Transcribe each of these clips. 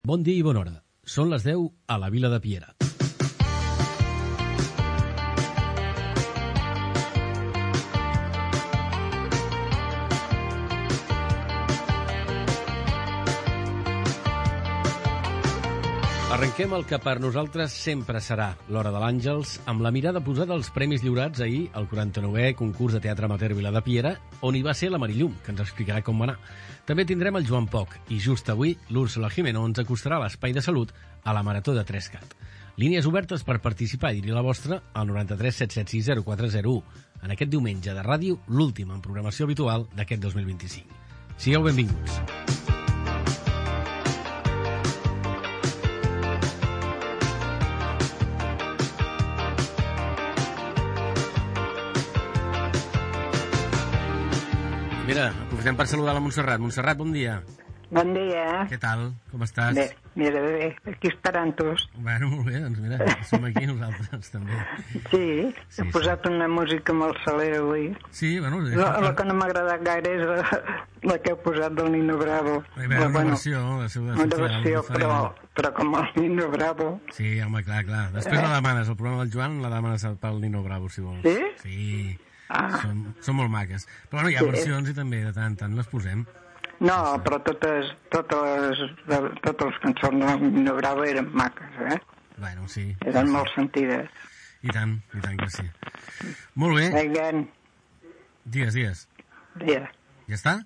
Bon dia i bona hora. Són les 10 a la Vila de Piera. Arrenquem el que per nosaltres sempre serà l'Hora de l'Àngels, amb la mirada posada als premis lliurats ahir al 49è concurs de teatre amateur Vila de Piera, on hi va ser la Mari Llum, que ens explicarà com va anar. També tindrem el Joan Poch, i just avui l'Úrsula Jimeno ens acostarà a l'Espai de Salut a la Marató de 3CAT. Línies obertes per participar i dir la vostra al 93 776 0401. En aquest diumenge de ràdio, l'últim en programació habitual d'aquest 2025. Sigueu benvinguts. Mira, aprofitem per saludar la Montserrat. Montserrat, bon dia. Bon dia. Què tal? Com estàs? Bé, mira, bé, aquí esperant-tos. Bueno, molt bé, doncs mira, som aquí nosaltres també. Sí, he posat una música molt salera avui. Sí, bueno... La que no m'ha agradat gaire és la que heu posat del Nino Bravo. Una versió, una versió, però com el Nino Bravo. Sí, home, clar. Després la demanes, el programa del Joan la demanes pel Nino Bravo, si vols. Sí? Sí. Són molt maques. Però bueno, hi ha versions i també de tant en tant les posem. No, però totes les cançons de Nino Bravo eren maques, eh? Bueno, sí. Eren molt sentides. I tant que sí. Molt bé. Again. Digues. Ja està?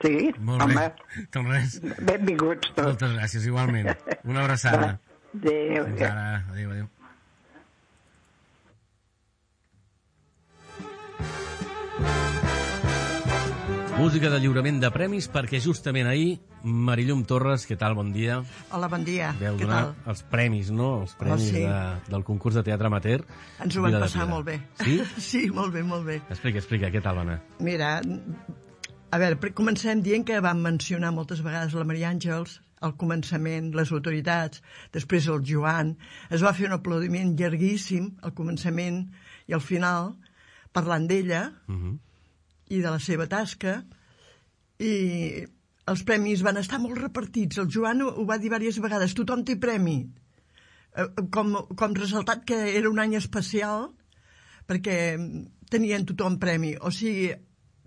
Sí, molt bé. Doncs res. Benvinguts tots. Moltes gràcies, igualment. Una abraçada. Adéu. Fins ara. Adéu. Música de lliurament de premis, perquè justament ahir, Mari Llum Torres, què tal, bon dia. Hola, bon dia. Veu donar els premis, no? Els premis del concurs de teatre amateur. Ens ho vam passar molt bé. Sí? Sí, molt bé. Explica, què tal va anar? Mira, a veure, comencem dient que vam mencionar moltes vegades la Maria Àngels, al començament, les autoritats, després el Joan. Es va fer un aplaudiment llarguíssim al començament i al final, parlant d'ella, i de la seva tasca, i els premis van estar molt repartits. El Joan ho va dir diverses vegades, tothom té premi, com ressaltat que era un any especial perquè tenien tothom premi, o sigui,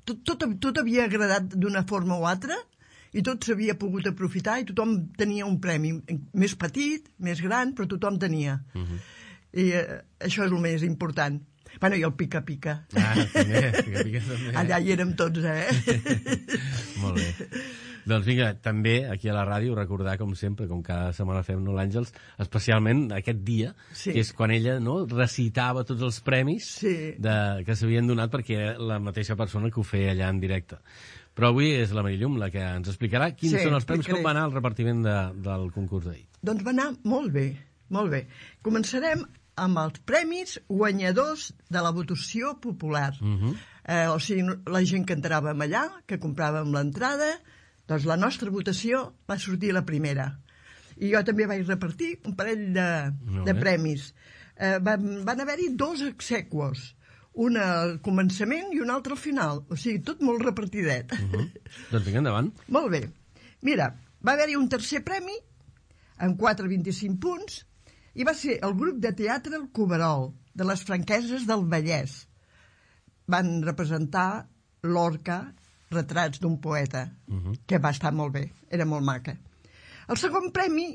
tot havia agradat d'una forma o altra i tot s'havia pogut aprofitar i tothom tenia un premi, més petit, més gran, però tothom tenia. I això és el més important. Bueno, i el pica-pica. També, pica-pica també. Allà hi érem tots, Molt bé. Doncs vinga, també aquí a la ràdio recordar, com sempre, com cada setmana fem, no, l'Àngels, especialment aquest dia, que és quan ella recitava tots els premis que s'havien donat, perquè era la mateixa persona que ho feia allà en directe. Però avui és la Mari Llum la que ens explicarà quins són els premis, com va anar el repartiment del concurs d'ahir. Doncs va anar molt bé. Començarem amb els premis guanyadors de la votació popular. O sigui, la gent que entràvem allà, que compràvem l'entrada, doncs la nostra votació va sortir la primera. I jo també vaig repartir un parell de premis. Van haver-hi 2 exequos, un al començament i un altre al final. O sigui, tot molt repartidet. Doncs vinga, endavant. Molt bé. Mira, va haver-hi un tercer premi amb 4,25 punts, i va ser el grup de teatre El Coverol, de les Franqueses del Vallès. Van representar Lorca, retrats d'un poeta, que va estar molt bé, era molt maca. El segon premi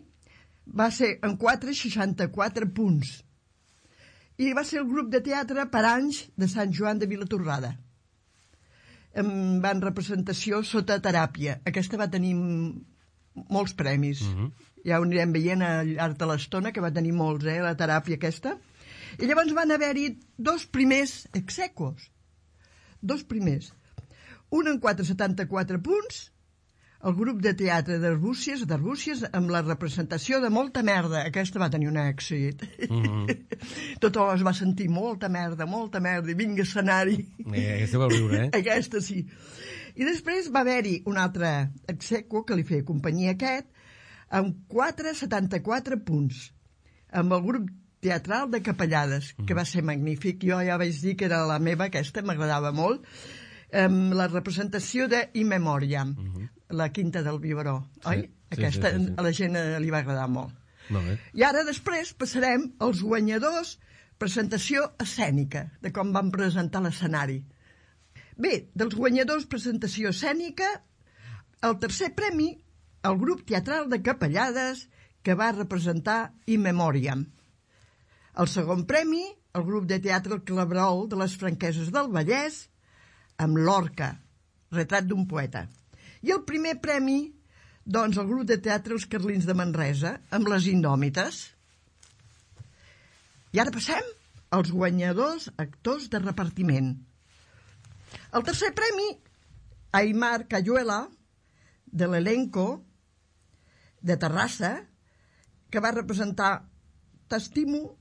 va ser en 4,64 punts, i va ser el grup de teatre Paranys de Sant Joan de Vilatorrada. Van representació Sota teràpia. Aquesta va tenir molts premis. Ja ho anirem veient al llarg de l'estona, que va tenir molts, la teràpia aquesta. I llavors van haver-hi 2 primers exequos. 2 primers. Un en 4,74 punts, el grup de teatre d'Arbúcies, amb la representació de Molta merda. Aquesta va tenir un èxit. Tothom es va sentir molta merda, i vinga escenari. Aquesta va viure, Aquesta sí. I després va haver-hi un altre exequo que li feia companyia aquest, amb 4,74 punts, amb el grup teatral de Capellades, que va ser magnífic. Jo ja vaig dir que era la meva, aquesta m'agradava molt, amb la representació de In Memoriam. la Quinta del Biberó, oi? Sí, Aquesta sí. a la gent li va agradar molt. Molt bé. I ara després passarem als guanyadors, presentació escènica, de com van presentar l'escenari. Bé, dels guanyadors presentació escènica, el tercer premi, el grup teatral de Capellades, que va representar In Memoriam. El segon premi, el grup de teatre El Claverol de les Franqueses del Vallès, amb Lorca, retrat d'un poeta. I el primer premi, doncs, el grup de teatre Els Carlins de Manresa, amb Les Indòmites. I ara passem als guanyadors actors de repartiment. El tercer premi, Aimar Cayuela, de l'elenco de Terrassa, que va representar T'estimo,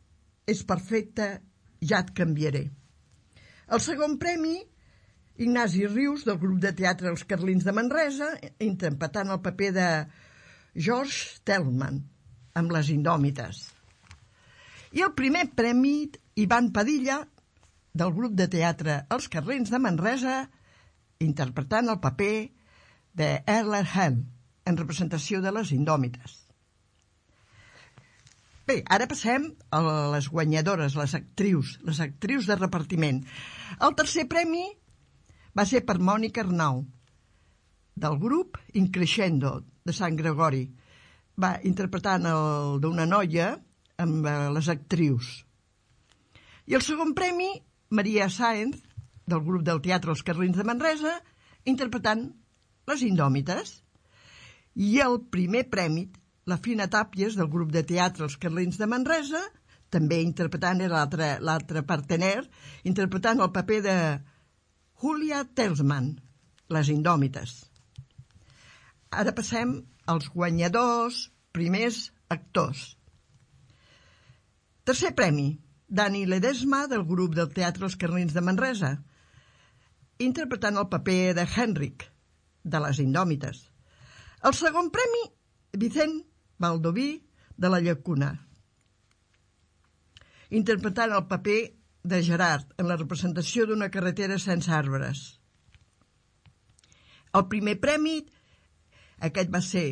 és perfecte, ja et canviaré. El segon premi, Ignasi Rius, del grup de teatre Els Carlins de Manresa, interpretant el paper de George Tellman, amb Les Indòmites. I el primer premi, Ivan Padilla, del grup de teatre Els Carlins de Manresa, interpretant el paper de Erler Hell, en representació de Les Indòmites. Bé, ara passem a les guanyadores, les actrius de repartiment. El tercer premi va ser per Mònica Arnau, del grup Increscendo, de Sant Gregori. Va interpretant el d'una noia amb les actrius. I el segon premi, Maria Sáenz, del grup del teatre Els Carlins de Manresa, interpretant Les Indòmites. I el primer premi, la Fina Tàpies, del grup de teatre Els Carlins de Manresa, també interpretant l'altre partener, interpretant el paper de Julia Telsman, Les Indòmites. Ara passem als guanyadors, primers actors. Tercer premi, Dani Ledesma, del grup del teatre Els Carlins de Manresa, interpretant el paper de Henrik, de Les Indòmites. El segon premi, Vicent Baldoví, de La Llacuna, interpretant el paper de Gerard en la representació d'una carretera sense arbres. El primer premi, aquest va ser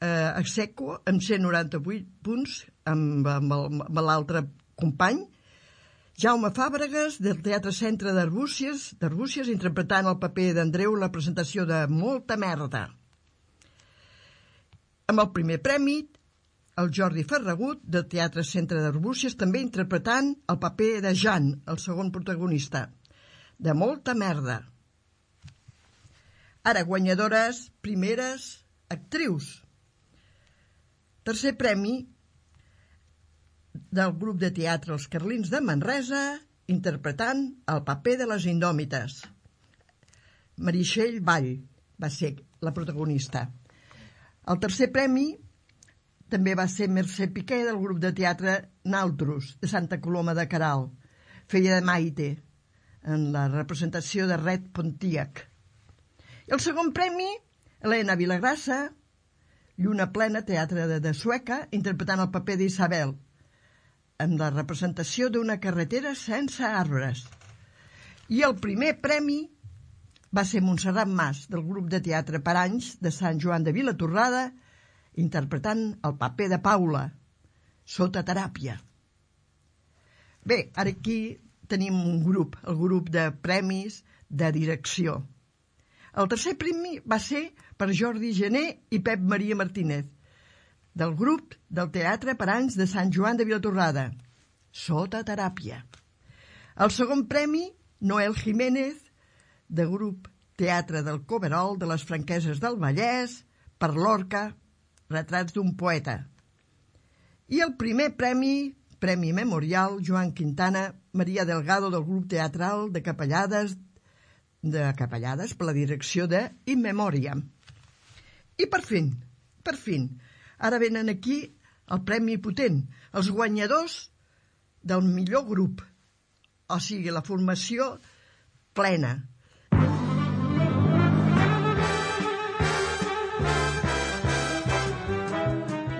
ex aequo, amb 198 punts, amb l'altre company, Jaume Fàbregas, del Teatre Centre d'Arbúcies, interpretant el paper d'Andreu en la presentació de Molta merda. Amb el primer premi, el Jordi Ferragut, del Teatre Centre d'Arbúcies, també interpretant el paper de Jan, el segon protagonista, de Molta merda. Ara, guanyadores, primeres actrius. Tercer premi, del grup de teatre Els Carlins de Manresa, interpretant el paper de Les Indòmites. Meritxell Vall va ser la protagonista. El tercer premi també va ser Mercè Piqué, del grup de teatre Naltros, de Santa Coloma de Queralt. Feia de Maite, en la representació de Red Pontiac. I el segon premi, Helena Vilagrassa, Lluna plena, teatre de Sueca, interpretant el paper d'Isabel, en la representació d'una carretera sense arbres. I el primer premi va ser Montserrat Mas, del grup de teatre Paranys, de Sant Joan de Vilatorrada, interpretant el paper de Paula, sota teràpia. Bé, ara aquí tenim un grup, el grup de premis de direcció. El tercer premi va ser per Jordi Gené i Pep Maria Martínez, del grup del Teatre Paranys de Sant Joan de Vilatorrada, sota teràpia. El segon premi, Noel Jiménez, de grup Teatre del Coverol de les Franqueses del Vallès, per Lorca, retrats d'un poeta. I el primer premi, Premi Memorial, Joan Quintana, Maria Delgado, del grup teatral de Capellades, per la direcció de In Memoriam. I per fin, ara venen aquí el premi potent, els guanyadors del millor grup, o sigui, la formació plena.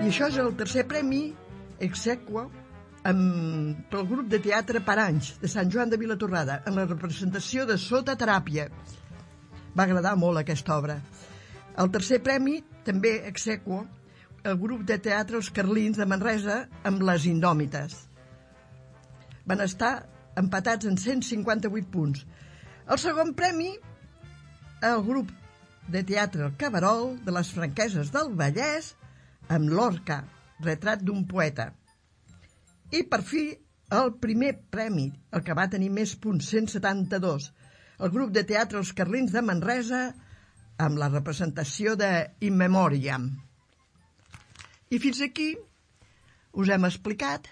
I això és el tercer premi, ex aequo, pel grup de teatre Paranys, de Sant Joan de Vilatorrada, en la representació de Sota teràpia. Va agradar molt aquesta obra. El tercer premi, també exequo, el grup de teatre Els Carlins de Manresa amb Les Indòmites. Van estar empatats en 158 punts. El segon premi, el grup de teatre El Cabarol de les Franqueses del Vallès amb Lorca, retrat d'un poeta. I per fi, el primer premi, el que va tenir més punts, 172, el grup de teatre Els Carlins de Manresa amb la representació de In Memoriam. I fins aquí us hem explicat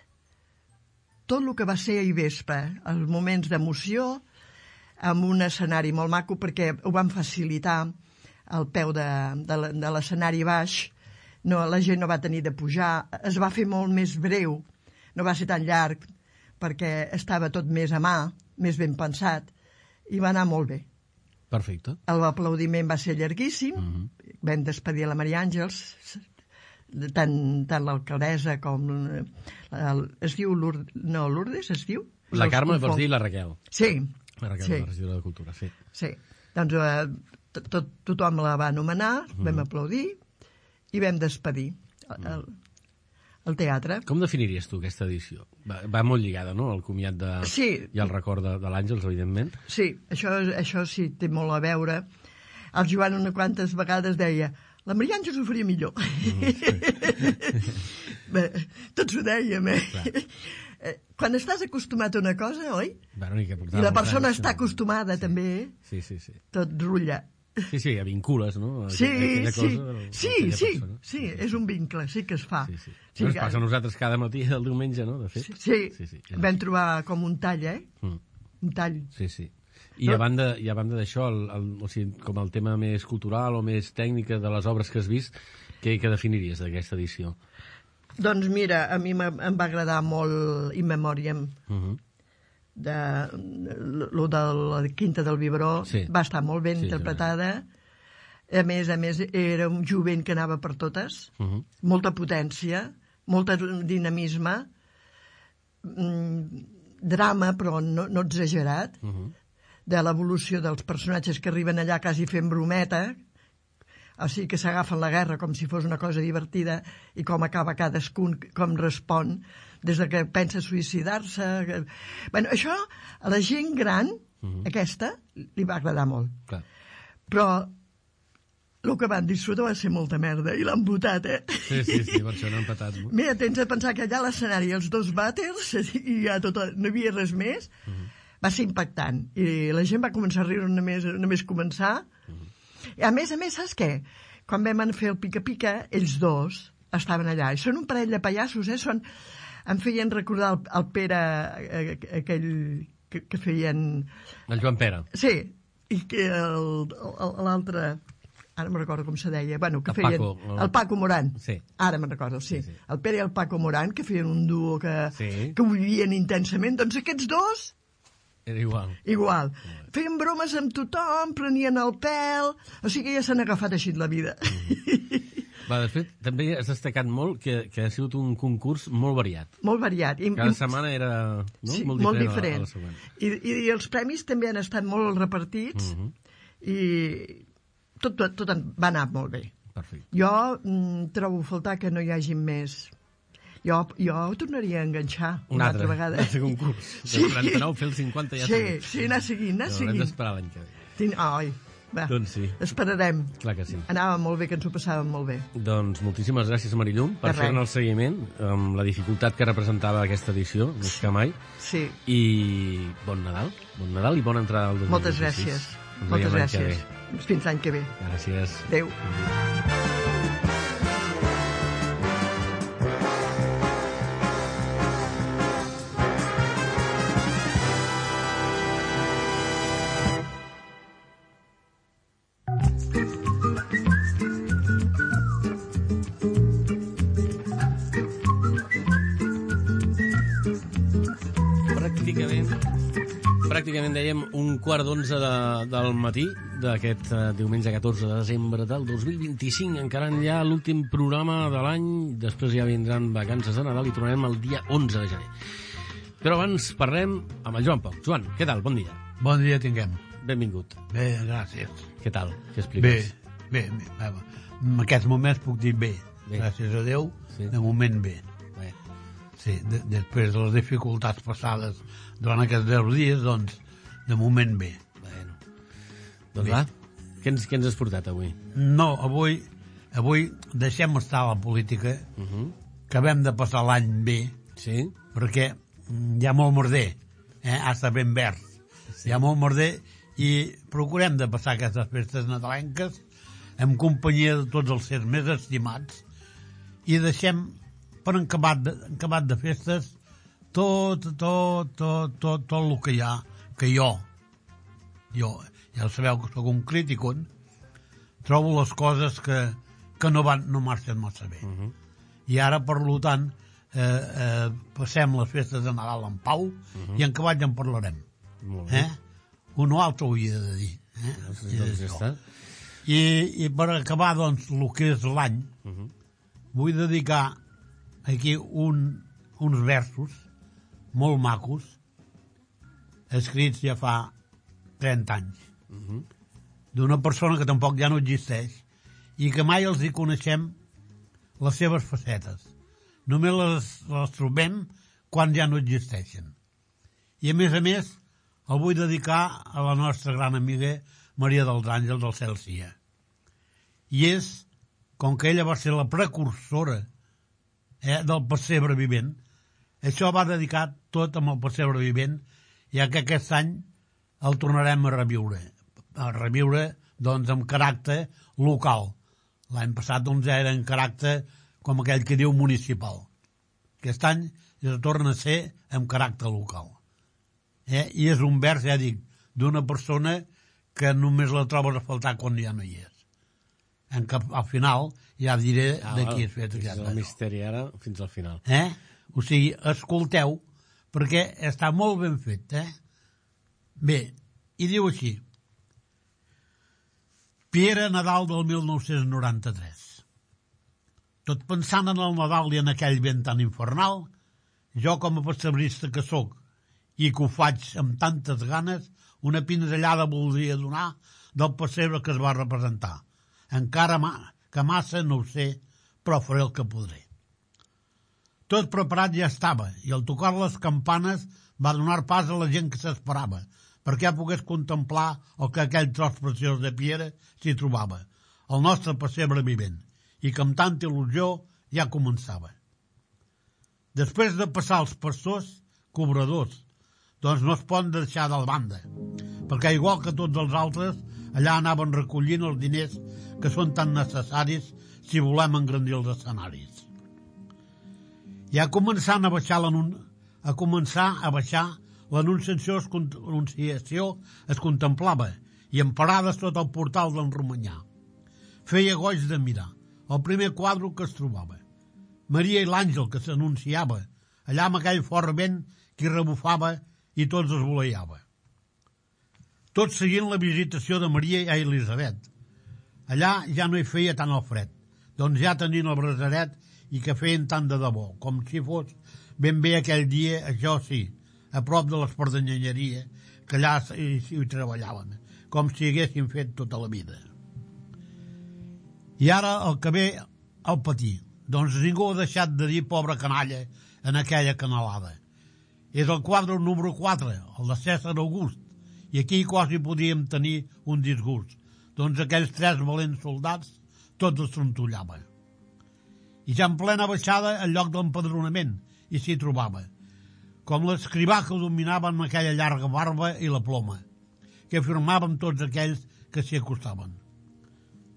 tot el que va ser ahir vespre, els moments d'emoció, amb un escenari molt maco, perquè ho van facilitar al peu de l'escenari baix. No, la gent no va tenir de pujar, es va fer molt més breu, no va ser tan llarg, perquè estava tot més a mà, més ben pensat, i va anar molt bé. Perfecte. L'aplaudiment va ser llarguíssim, vam despedir la Maria Àngels, tant l'alcaldessa com... es diu Lourdes, es diu? La Carme, vols dir, la Raquel. Sí. La Raquel, la regidora de Cultura, sí. Sí, doncs tothom la va anomenar, vam aplaudir i vam despedir el teatre. Com definiries tu aquesta edició? Va molt lligada, no?, al comiat i al record de l'Àngels, evidentment. Sí, això sí té molt a veure. El Joan unes quantes vegades deia la Maria Àngels ho faria millor. Bé, tots ho dèiem, Quan estàs acostumat a una cosa, oi? Bueno, i la persona està acostumada també, tot rutlla. Sí, ja vincules, no? Sí, és un vincle, sí que es fa. Sí. Ens passa a nosaltres cada matí del diumenge, no?, de fet. Sí. Vam trobar com un tall, Un tall. Sí. I a banda d'això, o sigui, com el tema més cultural o més tècnica de les obres que has vist, què definiries d'aquesta edició? Doncs mira, a mi em va agradar molt In Memoriam, lo de la Quinta del Vibró, va estar molt ben interpretada. A més, era un jovent que anava per totes, molta potència, molt dinamisme, drama, però no exagerat, de l'evolució dels personatges que arriben allà quasi fent brometa, o sigui que s'agafen la guerra com si fos una cosa divertida, i com acaba cadascun, com respon, des que pensa suïcidar-se. Bueno, això a la gent gran, aquesta, li va agradar molt. Clar. Però el que van disfrutar va ser molta merda, i l'han votat, Sí, per això no han patat. Mira, tens de pensar que allà a l'escenari els dos vàters, i ja no hi havia res més, va ser impactant, i la gent va començar a riure només començar. I a més, saps què? Quan vam fer el pica-pica, ells dos estaven allà, i són un parell de pallassos, em feien recordar el Pere, aquell que feien... El Joan Pere. Sí, i que l'altre... Ara me'n recordo com se deia. Bueno, que feien... El Paco Morán. Sí. Ara me'n recordo, sí. El Pere i el Paco Morán, que feien un duo que ho vivien intensament. Doncs aquests dos... Era igual. Feien bromes amb tothom, prenien el pèl... O sigui que ja s'han agafat així la vida. De fet, també has destacat molt que ha sigut un concurs molt variat. Molt variat. Cada setmana era molt diferent. A la següent. I els premis també han estat molt repartits i tot va anar molt bé. Perfecte. Jo trobo a faltar que no hi hagi més... Jo tornaria a enganxar una altra vegada. Un altre concurs. De 49 fer el 50 ja seguit. Sí, anar seguint. Haurem d'esperar l'any que ve. Ai, va, doncs sí. Esperarem. Clar que sí. Anava molt bé, que ens ho passàvem molt bé. Doncs moltíssimes gràcies, Marillum, per fer-ne el seguiment, amb la dificultat que representava aquesta edició, més que mai. Sí. I bon Nadal i bona entrada al 2026. Moltes gràcies. Moltes gràcies. Fins l'any que ve. Gràcies. Adéu. Pràcticament dèiem 11:15 del matí d'aquest diumenge 14 de desembre del 2025. Encara ja l'últim programa de l'any, després ja vindran vacances de Nadal i tornarem el dia 11 de gener. Però abans parlem amb el Joan Poch. Joan, què tal? Bon dia. Bon dia tinguem. Benvingut. Bé, gràcies. Què tal? Què expliques? Bé, Bé, en aquests moments puc dir bé. Gràcies a Déu, de moment bé. Sí, després de les dificultats passades durant aquests 10 dies, doncs, de moment bé. Doncs va, què ens has portat avui? No, avui deixem estar la política, que vam de passar l'any bé, perquè hi ha molt merder, ha estat ben verd, hi ha molt merder, i procurem de passar aquestes festes nadalenques en companyia de tots els sers més estimats, i deixem per acabat de festes tot el que hi ha, que jo ja sabeu que sóc un críticon, trobo les coses que no marxen massa bé. I ara, per tant, passem les festes de Nadal en pau i en acabat ja en parlarem. Un o altre ho havia de dir. I per acabar, doncs, el que és l'any, vull dedicar aquí uns versos molt macos, escrits ja fa 30 anys, d'una persona que tampoc ja no existeix i que mai els hi coneixem les seves facetes. Només les trobem quan ja no existeixen. I a més, el vull dedicar a la nostra gran amiga Maria dels Àngels del Cel Sia. I és, com que ella va ser la precursora del pessebre vivent, això va dedicat tot amb el pessebre vivent, ja que aquest any el tornarem a reviure doncs amb caràcter local. L'any passat doncs ja era en caràcter, com aquell que diu, municipal. Aquest any ja torna a ser amb caràcter local. I és un vers, ja dic, d'una persona que només la trobes a faltar quan ja no hi és. Al final ja diré de qui és fet aquest. El misteri ara fins al final. O sigui, escolteu, perquè està molt ben fet. Bé, i diu així: Piera Nadal del 1993. Tot pensant en el Nadal i en aquell vent tan infernal, jo com a pessebrista que sóc i que ho faig amb tantes ganes, una pinzellada voldria donar del pessebre que es va representar. Encara que massa no ho sé, però faré el que podré. Tot preparat ja estava, i al tocar les campanes va donar pas a la gent que s'esperava, perquè pogués contemplar el que aquell tros preciós de Piera s'hi trobava, el nostre pessebre vivent, i que amb tanta il·lusió ja començava. Després de passar els pastors, cobradors, doncs no es poden deixar de banda, perquè igual que tots els altres, allà anaven recollint els diners que són tan necessaris si volem engrandir els escenaris. Ja començant a baixar l'anunciació es contemplava i en parades tot el portal d'en Romanyà. Feia goig de mirar el primer quadre que es trobava. Maria i l'àngel que s'anunciava, allà amb aquell fort vent que rebufava i tots es voleiava. Tot seguint la visitació de Maria i Elisabet. Allà ja no hi feia tant el fred, doncs ja tenien el brasaret i que feien tant de debò, com si fos ben bé aquell dia, això sí, a prop de l'espardanyeria, que allà hi treballaven, com si haguessin fet tota la vida. I ara el que ve al patir, doncs ningú ha deixat de dir pobra canalla en aquella canalada. És el quadre número 4, el de Cèsar August, i aquí quasi podríem tenir un disgust, doncs aquells 3 valents soldats tots es trontollaven. I ja en plena baixada al lloc d'empadronament i s'hi trobava, com l'escrivà que dominava amb aquella llarga barba i la ploma, que firmaven tots aquells que s'hi acostaven.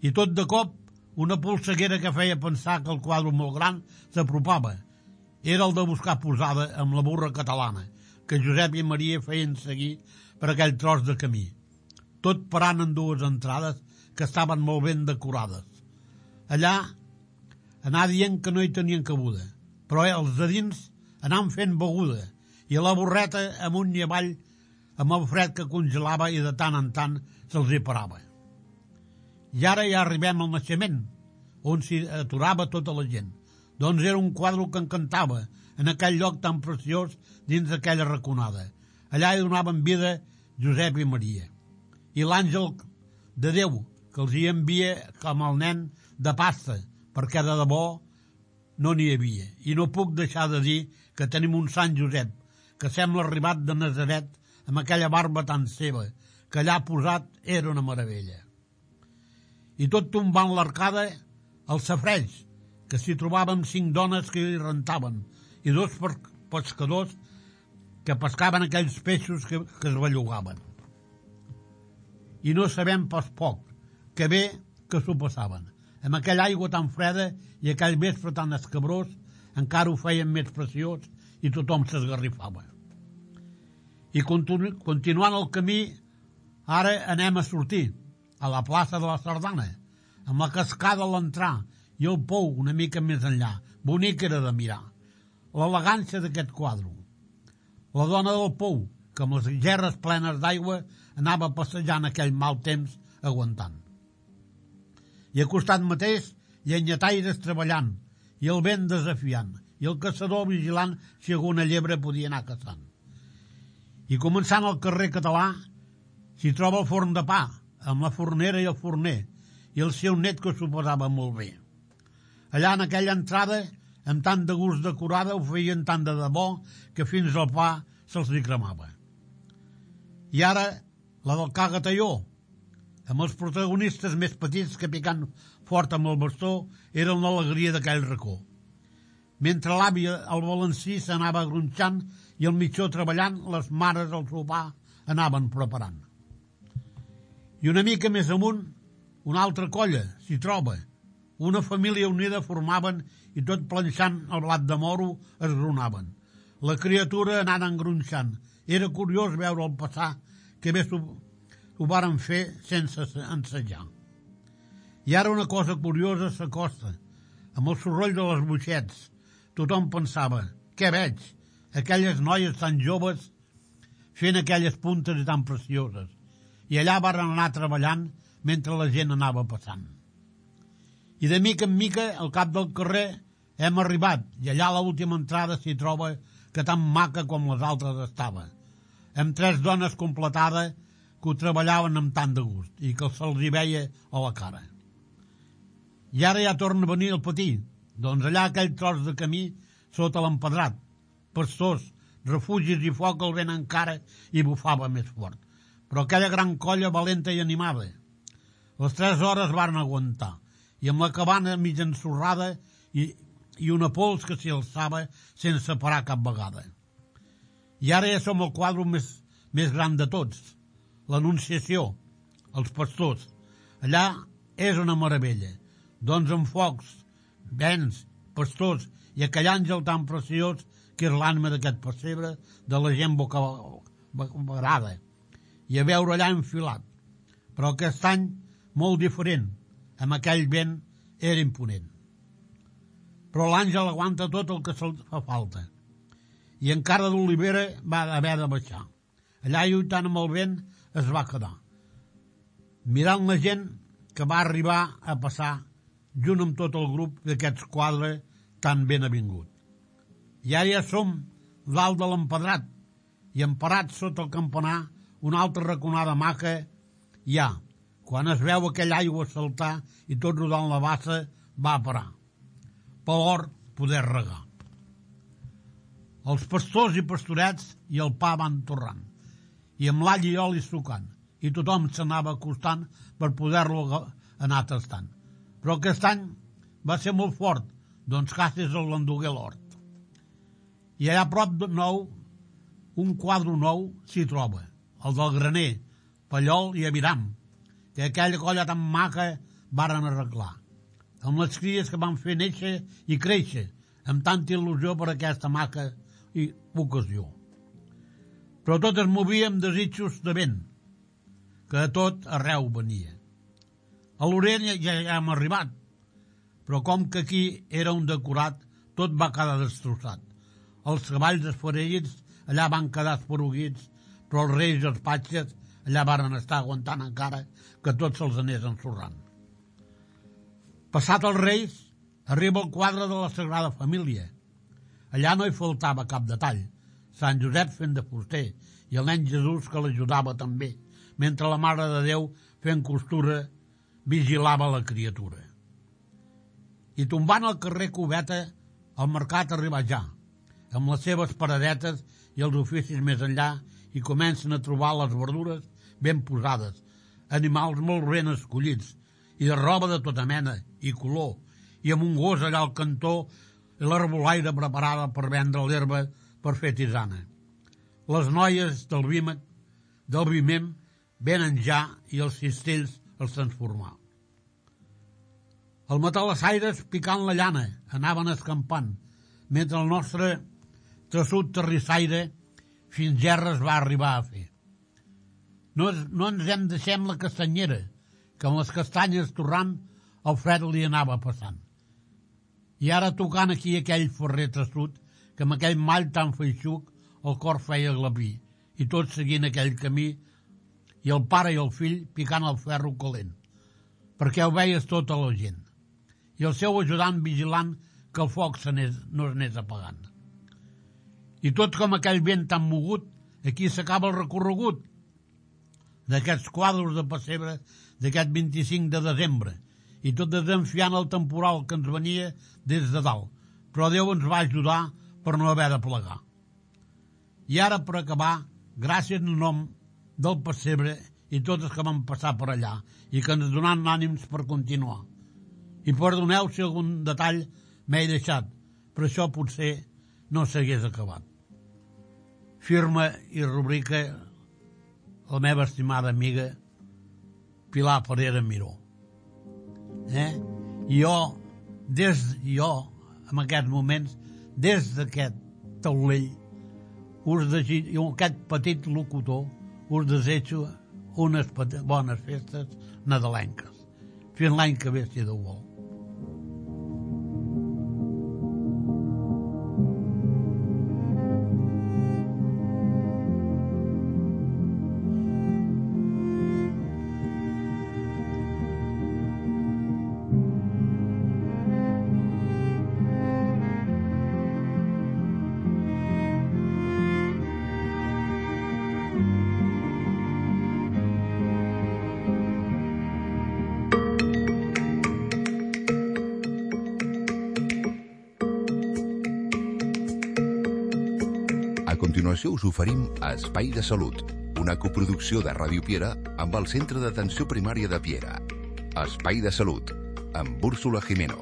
I tot de cop, una polseguera que feia pensar que el quadre molt gran s'apropava. Era el de buscar posada amb la burra catalana, que Josep i Maria feien seguir per aquell tros de camí, tot parant en 2 entrades que estaven molt ben decorades. Allà anar dient que no hi tenien cabuda, però els de dins anaven fent beguda, i a la borreta amunt i avall amb el fred que congelava i de tant en tant se'ls hi parava. I ara ja arribem al naixement, on s'hi aturava tota la gent. Doncs era un quadre que encantava en aquell lloc tan preciós dins d'aquella raconada. Allà hi donaven vida Josep i Maria. I l'àngel de Déu, que els hi envia com el nen de pasta, perquè de debò no n'hi havia. I no puc deixar de dir que tenim un Sant Josep, que sembla arribat de Nazaret, amb aquella barba tan seva, que allà posat era una meravella. I tot tombant l'arcada, el safareig, que s'hi trobaven 5 dones que hi rentaven, i 2 pescadors que pescaven aquells peixos que es bellugaven. I no sabem pas poc, que bé que s'ho passaven. Amb aquella aigua tan freda i aquell vespre tan escabrós, encara ho feien més preciós i tothom s'esgarrifava. I continuant el camí, ara anem a sortir a la plaça de la Sardana, amb la cascada a l'entrar i el pou una mica més enllà. Bonic era de mirar. L'elegància d'aquest quadre. La dona del pou, que amb les gerres plenes d'aigua anava passejant aquell mal temps aguantant. I al costat mateix hi ha llenyataires treballant, i el vent desafiant, i el caçador vigilant si alguna llebre podia anar caçant. I començant al carrer Català, s'hi troba el forn de pa, amb la fornera i el forner, i el seu net que s'ho posava molt bé. Allà en aquella entrada, amb tant de gust decorada, ho feien tant de debò que fins al pa se'ls hi cremava. I ara, la del Cagatalló, amb els protagonistes més petits que picant fort amb el bastó eren l'alegria d'aquell racó. Mentre l'àvia al balancí s'anava gronxant i el mitjó treballant, les mares al sopar anaven preparant. I una mica més amunt, una altra colla s'hi troba. Una família unida formaven i tot planxant el blat de moro es gronaven. La criatura anant engronxant. Era curiós veure'l passar, que bé ho varen fer sense ensejar. I ara una cosa curiosa s'acosta. Amb el soroll de les boixets, tothom pensava, què veig? Aquelles noies tan joves fent aquelles puntes i tan precioses. I allà varen anar treballant mentre la gent anava passant. I de mica en mica, al cap del carrer, hem arribat, i allà a l'última entrada s'hi troba que tan maca com les altres estava, amb 3 dones completades que ho treballaven amb tant de gust i que se'ls hi veia a la cara. I ara ja torna a venir el patí, doncs allà aquell tros de camí sota l'empedrat, pastors, refugis i foc el vent encara i bufava més fort. Però aquella gran colla valenta i animada. Les 3 hores varen aguantar, i amb la cabana mig ensorrada i una pols que s'hi alçava sense parar cap vegada. I ara ja som el quadre més gran de tots, l'Anunciació, els pastors. Allà és una meravella, doncs amb focs, vents, pastors i aquell àngel tan preciós que és l'ànima d'aquest pessebre de la gent bocabarada, i a veure allà enfilat. Però aquest any molt diferent, amb aquell vent era imponent. Però l'àngel aguanta tot el que se'l fa falta. I encara d'Olivera va haver de baixar. Allà lluitant amb el vent es va quedar, mirant la gent que va arribar a passar junt amb tot el grup d'aquests quadres tan ben avingut. I ara ja som dalt de l'empedrat i emparats sota el campanar una altra raconada maca hi ha. Quan es veu aquella aigua saltar i tot rodant la bassa va parar, per l'hort poder regar. Els pastors i pastorets i el pa van torrant, i amb l'all i oli sucant, i tothom s'anava acostant per poder-lo anar tastant. Però aquest any va ser molt fort, doncs Cases el l'endugué l'hort. I allà a prop de nou, un quadre nou s'hi troba, el del graner, Pallol i Aviram, que aquella colla tan maca varen arreglar, amb les cries que van fer néixer i créixer, amb tanta il·lusió per aquesta maca i ocasió. Però tot es movia amb desitjos de vent, que de tot arreu venia. A l'Orient ja hem arribat, però com que aquí era un decorat, tot va quedar destrossat. Els cavalls esfereïts allà van quedar esporuguits, però els reis i els patges allà varen estar aguantant encara que tot se'ls anés ensorrant. Passat els reis, arriba el quadre de la Sagrada Família. Allà no hi faltava cap detall. Sant Josep fent de fuster i el nen Jesús que l'ajudava també, mentre la Mare de Déu fent costura vigilava la criatura. I tombant al carrer Cubeta, el mercat arriba ja, amb les seves paradetes i els oficis més enllà, i comencen a trobar les verdures ben posades, animals molt ben escollits, i de roba de tota mena i color, i amb un gos allà al cantó i l'arbolaire preparada per vendre l'herba per fer tisana. Les noies del Vimem venen ja i els cistells els transformar. Els matalassaires, picant la llana, anaven escampant, mentre el nostre traçut terrissaire fins gerres va arribar a fer. No ens hem deixem la castanyera, que amb les castanyes torrant el fred li anava passant. I ara tocant aquí aquell ferrer traçut, que amb aquell mall tan feixuc el cor feia glapir, i tots seguint aquell camí, i el pare i el fill picant el ferro calent, perquè ho veies tota la gent, i el seu ajudant vigilant que el foc no s'anés apagant. I tot com aquell vent tan mogut, aquí s'acaba el recorregut d'aquests quadres de pessebre d'aquest 25 de desembre, i tot desenfiant el temporal que ens venia des de dalt, però Déu ens va ajudar per no haver de plegar. I ara, per acabar, gràcies en nom del pessebre i tots els que van passar per allà i que ens donen ànims per continuar. I perdoneu si algun detall m'he deixat, però això potser no s'hagués acabat. Firma i rubrica la meva estimada amiga Pilar Parera Miró. I jo, en aquests moments, des d'aquest taulell, aquest petit locutor, us desitjo unes bones festes nadalenques. Fins l'any que ve, si Déu vol. A continuació us oferim Espai de Salut, una coproducció de Ràdio Piera amb el Centre d'Atenció Primària de Piera. Espai de Salut, amb Úrsula Jimeno.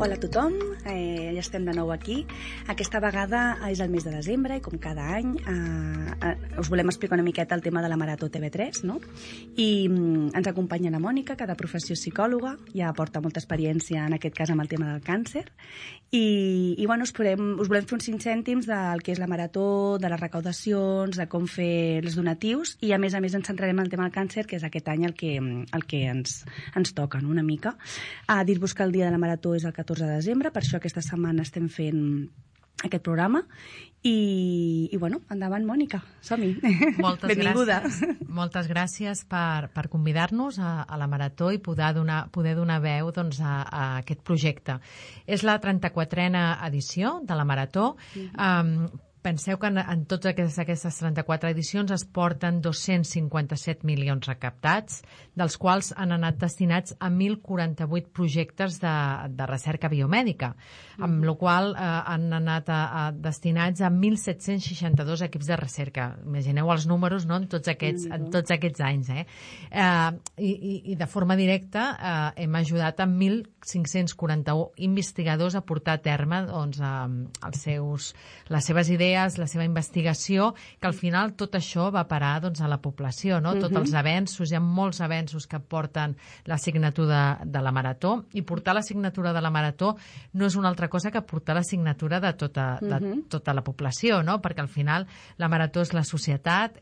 Hola a tothom, ja estem de nou aquí. Aquesta vegada és el mes de desembre i com cada any us volem explicar una miqueta el tema de la Marató TV3, no? I ens acompanya la Mònica, que de professió és psicòloga, ja porta molta experiència en aquest cas amb el tema del càncer, i bueno, us volem fer uns 5 cèntims del que és la Marató, de les recaudacions, de com fer els donatius, i a més ens centrarem en el tema del càncer, que és aquest any el que ens toca, no? Una mica. Dir-vos que el dia de la Marató és el 14 de desembre, per això aquesta setmana estem fent aquest programa i bueno, endavant, Mònica, som-hi. Benvinguda. Moltes gràcies per convidar-nos a la Marató i poder donar veu doncs, a aquest projecte. És la 34a edició de la Marató. Penseu que en totes aquestes 34 edicions es porten 257 milions recaptats, dels quals han anat destinats a 1.048 projectes de recerca biomèdica, amb la qual han anat destinats a 1.762 equips de recerca. Imagineu els números, no?, en tots aquests anys. I de forma directa hem ajudat a 1.541 investigadors a portar a terme doncs, les seves idees, la seva investigació, que al final tot això va parar doncs, a la població, no? Tots els avenços, hi ha molts avenços que porten la signatura de la Marató, i portar la signatura de la Marató no és una altra cosa que portar la signatura de tota la població, no? Perquè al final la Marató és la societat,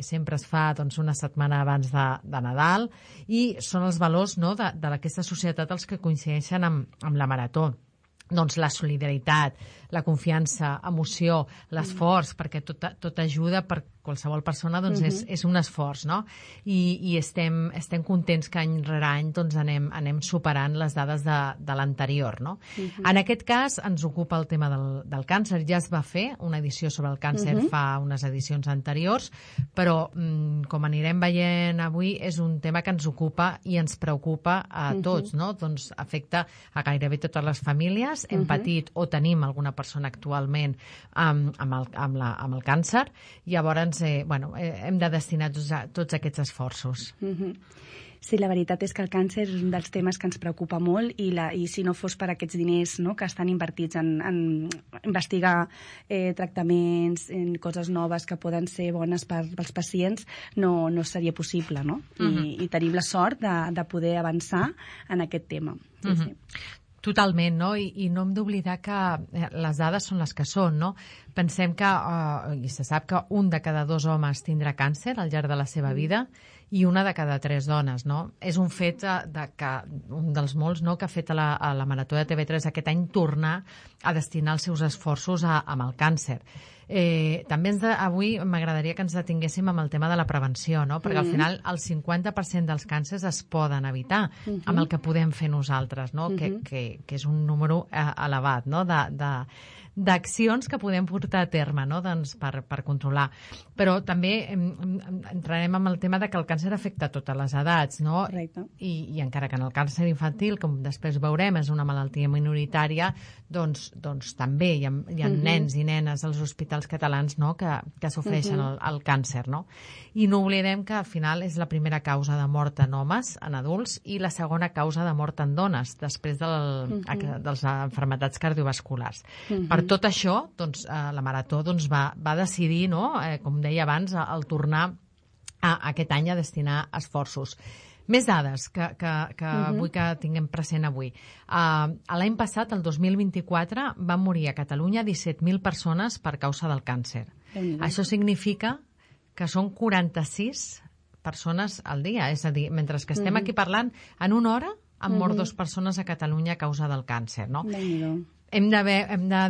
sempre es fa doncs, una setmana abans de Nadal, i són els valors, no?, d'aquesta societat els que coincideixen amb la Marató. Doncs la solidaritat, la confiança, emoció, l'esforç, perquè tot ajuda per qualsevol persona doncs és un esforç, no? I estem contents que any rere any doncs anem superant les dades de l'anterior, no? En aquest cas ens ocupa el tema del càncer. Ja es va fer una edició sobre el càncer fa unes edicions anteriors, però com anirem veient avui és un tema que ens ocupa i ens preocupa a tots, no? Doncs afecta a gairebé totes les famílies. Hem patit o tenim alguna persona actualment amb el càncer, i llavors hem de destinar tots aquests esforços. Sí, la veritat és que el càncer és un dels temes que ens preocupa molt i si no fos per aquests diners, no?, que estan invertits en investigar tractaments, en coses noves que poden ser bones pels pacients, no seria possible, no? I tenim la sort de poder avançar en aquest tema. Sí. Totalment, no? I no hem d'oblidar que les dades són les que són, no? Pensem que, i se sap que un de cada 2 homes tindrà càncer al llarg de la seva vida i una de cada 3 dones, no? És un fet un dels molts, no?, que ha fet a la Marató de TV3 aquest any tornar a destinar els seus esforços amb el càncer. També avui m'agradaria que ens detinguéssim amb el tema de la prevenció, no? Perquè al final el 50% dels càncers es poden evitar amb el que podem fer nosaltres, no? Que és un número elevat, no?, d'accions que podem portar a terme, no?, doncs per controlar. Però també entrarem en el tema de que el càncer afecta a totes les edats, no? Correcte. I encara que en el càncer infantil, com després veurem, és una malaltia minoritària, doncs també hi ha nens i nenes als hospitals catalans, no?, que sofreixen el càncer, no? I no oblidem que al final és la primera causa de mort en homes, en adults, i la segona causa de mort en dones, després de les malalties cardiovasculars. Per tot això, doncs, la Marató va decidir, no?, com deia abans, el tornar aquest any a destinar esforços. Més dades que vull que tinguem present avui. L'any passat, el 2024, van morir a Catalunya 17.000 persones per causa del càncer. Això significa que són 46 persones al dia. És a dir, mentre que estem aquí parlant, en una hora han mort 2 persones a Catalunya a causa del càncer, no? Hem de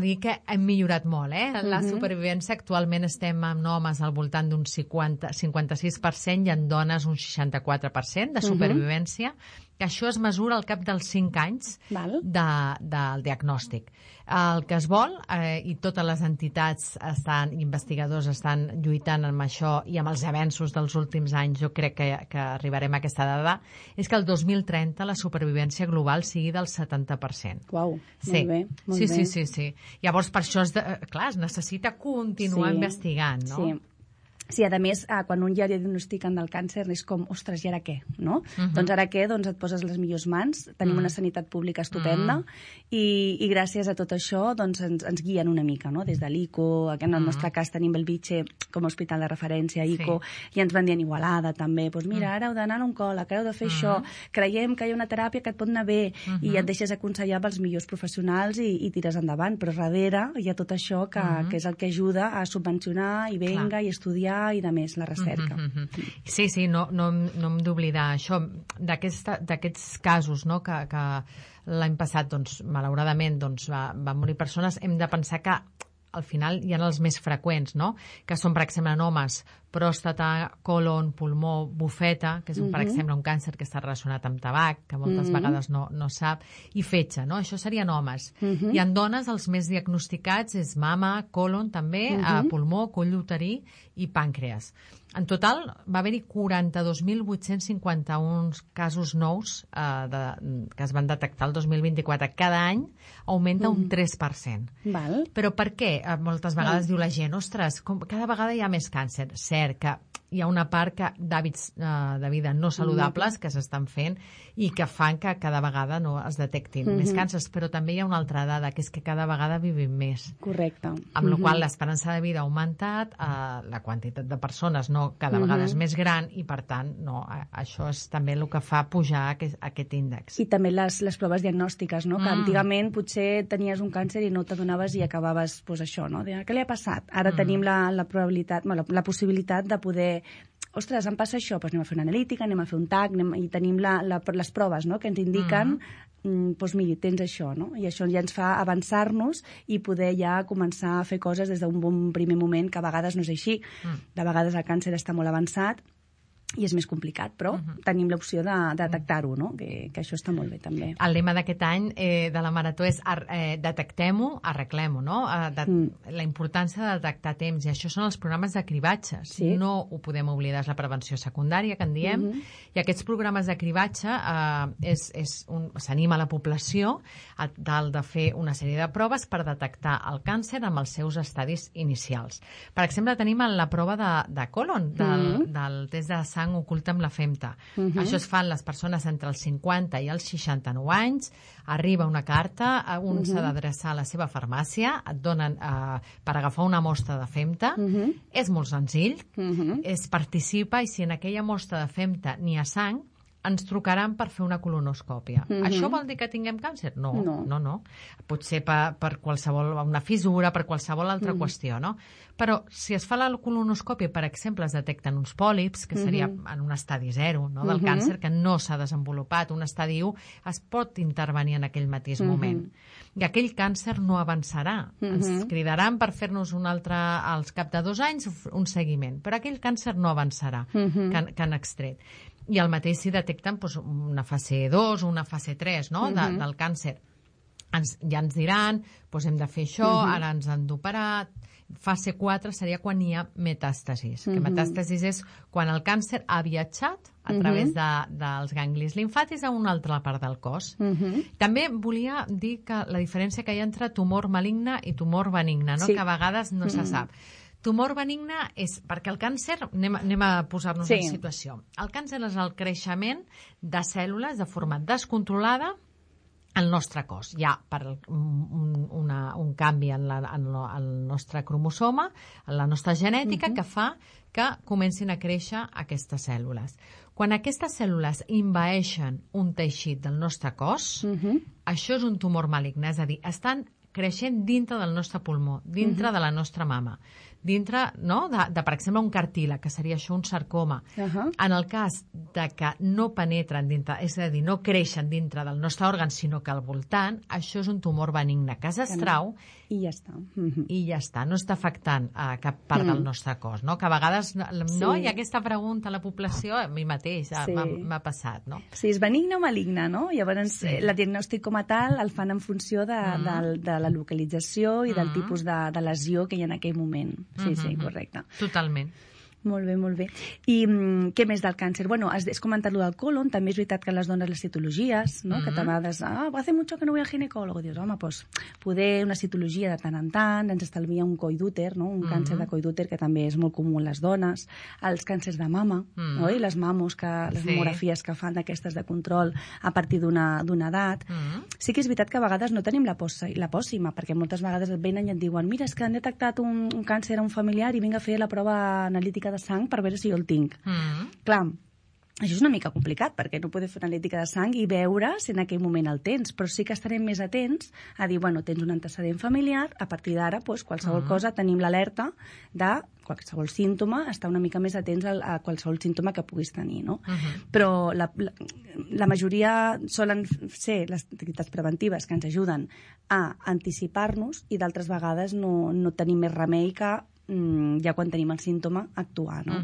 dir que hem millorat molt, La supervivència actualment estem en homes al voltant d'un 56% i en dones un 64% de supervivència, que això es mesura al cap dels 5 anys del diagnòstic. El que es vol, i totes les entitats investigadors estan lluitant amb això i amb els avenços dels últims anys, jo crec que arribarem a aquesta dada, és que el 2030 la supervivència global sigui del 70%. Uau, molt bé. Sí. Llavors, per això, es necessita continuar investigant, no? Sí, a més, quan un ja diagnostiquen del càncer és com, ostres, i ara què? No? Doncs ara què? Doncs et poses les millors mans, tenim una sanitat pública estupenda i gràcies a tot això doncs ens guien una mica, no? Des de l'ICO, en el nostre cas tenim Bellvitge com a hospital de referència, ICO, i ens van dient Igualada també, doncs mira, ara heu d'anar a l'oncòleg, ara heu de fer això, creiem que hi ha una teràpia que et pot anar bé, i et deixes aconsellar pels millors professionals i tires endavant, però darrere hi ha tot això que és el que ajuda a subvencionar i i estudiar i de més, la recerca. Sí, no hem d'oblidar això, d'aquests casos, no?, que l'any passat, doncs, malauradament, van morir persones. Hem de pensar que al final hi ha els més freqüents, no?, que són, per exemple, en homes, pròstata, colon, pulmó, bufeta, que és, per exemple, un càncer que està relacionat amb tabac, que moltes vegades no sap, i fetge, no? Això serien homes. I en dones els més diagnosticats és mama, colon, també, pulmó, coll uterí i pàncreas. En total va haver-hi 42.851 casos nous que es van detectar el 2024. Cada any augmenta un 3%. Però per què? Moltes vegades diu la gent, ostres, cada vegada hi ha més càncer. Cert que hi ha una part d'hàbits de vida no saludables que s'estan fent i que fan que cada vegada no es detectin més càncers, però també hi ha una altra dada, que és que cada vegada vivim més. Correcte. Amb la qual l'esperança de vida ha augmentat, la quantitat de persones cada vegada és més gran i, per tant, això és també el que fa pujar aquest índex. I també les proves diagnòstiques, no? Que antigament potser tenies un càncer i no t'adonaves i acabaves, doncs això, no? Què li ha passat? Ara tenim la probabilitat, la possibilitat de poder ostres, em passa això, doncs anem a fer una analítica, anem a fer un TAC, i tenim les proves, no?, que ens indiquen doncs miri, tens això, no? I això ja ens fa avançar-nos i poder ja començar a fer coses des d'un bon primer moment, que a vegades no és així. De vegades el càncer està molt avançat i és més complicat, però tenim l'opció de detectar-ho, no? Que això està molt bé, també. El lema d'aquest any de la Marató és detectem-ho, arreglem-ho, no? La importància de detectar temps, i això són els programes de cribatge. Sí. No ho podem oblidar, és la prevenció secundària, que en diem, i aquests programes de cribatge s'anima la població a tal de fer una sèrie de proves per detectar el càncer amb els seus estadis inicials. Per exemple, tenim la prova de colon, del test de sang oculta amb la FEMTA. Això es fan les persones entre els 50 i els 69 anys, arriba una carta, un s'ha d'adreçar a la seva farmàcia, et donen per agafar una mostra de FEMTA, és molt senzill, es participa, i si en aquella mostra de FEMTA n'hi ha sang, ens trucaran per fer una colonoscòpia. Això vol dir que tinguem càncer? No. Potser per qualsevol, una fissura, per qualsevol altra qüestió, no? Però si es fa la colonoscòpia, per exemple, es detecten uns pòlips, que seria en un estadi 0, no, del càncer, que no s'ha desenvolupat. Un estadi 1 es pot intervenir en aquell mateix moment. I aquell càncer no avançarà. Ens cridaran per fer-nos un altre, als cap de 2 anys, un seguiment. Però aquell càncer no avançarà, que han extret. I el mateix si detecten una fase 2 o una fase 3, no? Del càncer. Ja ens diran, hem de fer això, ara ens han d'operar. Fase 4 seria quan hi ha metàstasis. Que metàstasis és quan el càncer ha viatjat a través dels ganglis limfàtics a una altra part del cos. També volia dir que la diferència que hi ha entre tumor maligne i tumor benigne, no? Que a vegades no se sap. Tumor benigne és perquè el càncer, anem a posar-nos en situació. El càncer és el creixement de cèl·lules de forma descontrolada al nostre cos. Hi ha un canvi en el nostre cromosoma, en la nostra genètica, que fa que comencin a créixer aquestes cèl·lules. Quan aquestes cèl·lules envaeixen un teixit del nostre cos, això és un tumor maligne, és a dir, estan creixent dintre del nostre pulmó, dintre de la nostra mama, dintre, no, de, per exemple, un cartílag, que seria això un sarcoma. En el cas de que no penetren dintre, és a dir, no creixen dintre del nostre òrgan, sinó que al voltant, això és un tumor benigne que s'extrau i ja està. I ja està, no està afectant a cap part del nostre cos, no? Que a vegades no hi ha aquesta pregunta a la població, a mi mateix m'ha passat, no? Sí, és benigne o maligne, no? Llavors, el diagnòstic com a tal el fan en funció de la localització i del tipus de lesió que hi ha en aquell moment. Sí, correcte. Totalment. Molt bé, molt bé. I què més del càncer? Bueno, has comentat-lo del colon, també és veritat que les dones les citologies, no? Que a vegades, hace mucho que no voy al ginecólogo. Dius, home, doncs, poder una citologia de tant en tant, ens estalvia un coll d'úter, no? Un càncer de coll d'úter, que també és molt comú en les dones, els càncers de mama, oi? Les mamos, les mamografies que fan d'aquestes de control a partir d'una edat. Sí que és veritat que a vegades no tenim la pòssima, perquè moltes vegades et venen i et diuen, mira, és que han detectat un càncer a un familiar i vinc a fer la prova analítica de sang per veure si jo el tinc. Clar, això és una mica complicat, perquè no podem fer una analítica de sang i veure si en aquell moment el tens, però sí que estarem més atents a dir, bueno, tens un antecedent familiar, a partir d'ara, qualsevol cosa, tenim l'alerta de qualsevol símptoma, estar una mica més atents a qualsevol símptoma que puguis tenir, no? Però la majoria solen ser les activitats preventives que ens ajuden a anticipar-nos i d'altres vegades no tenim més remei que ja quan tenim el símptoma actuar, no?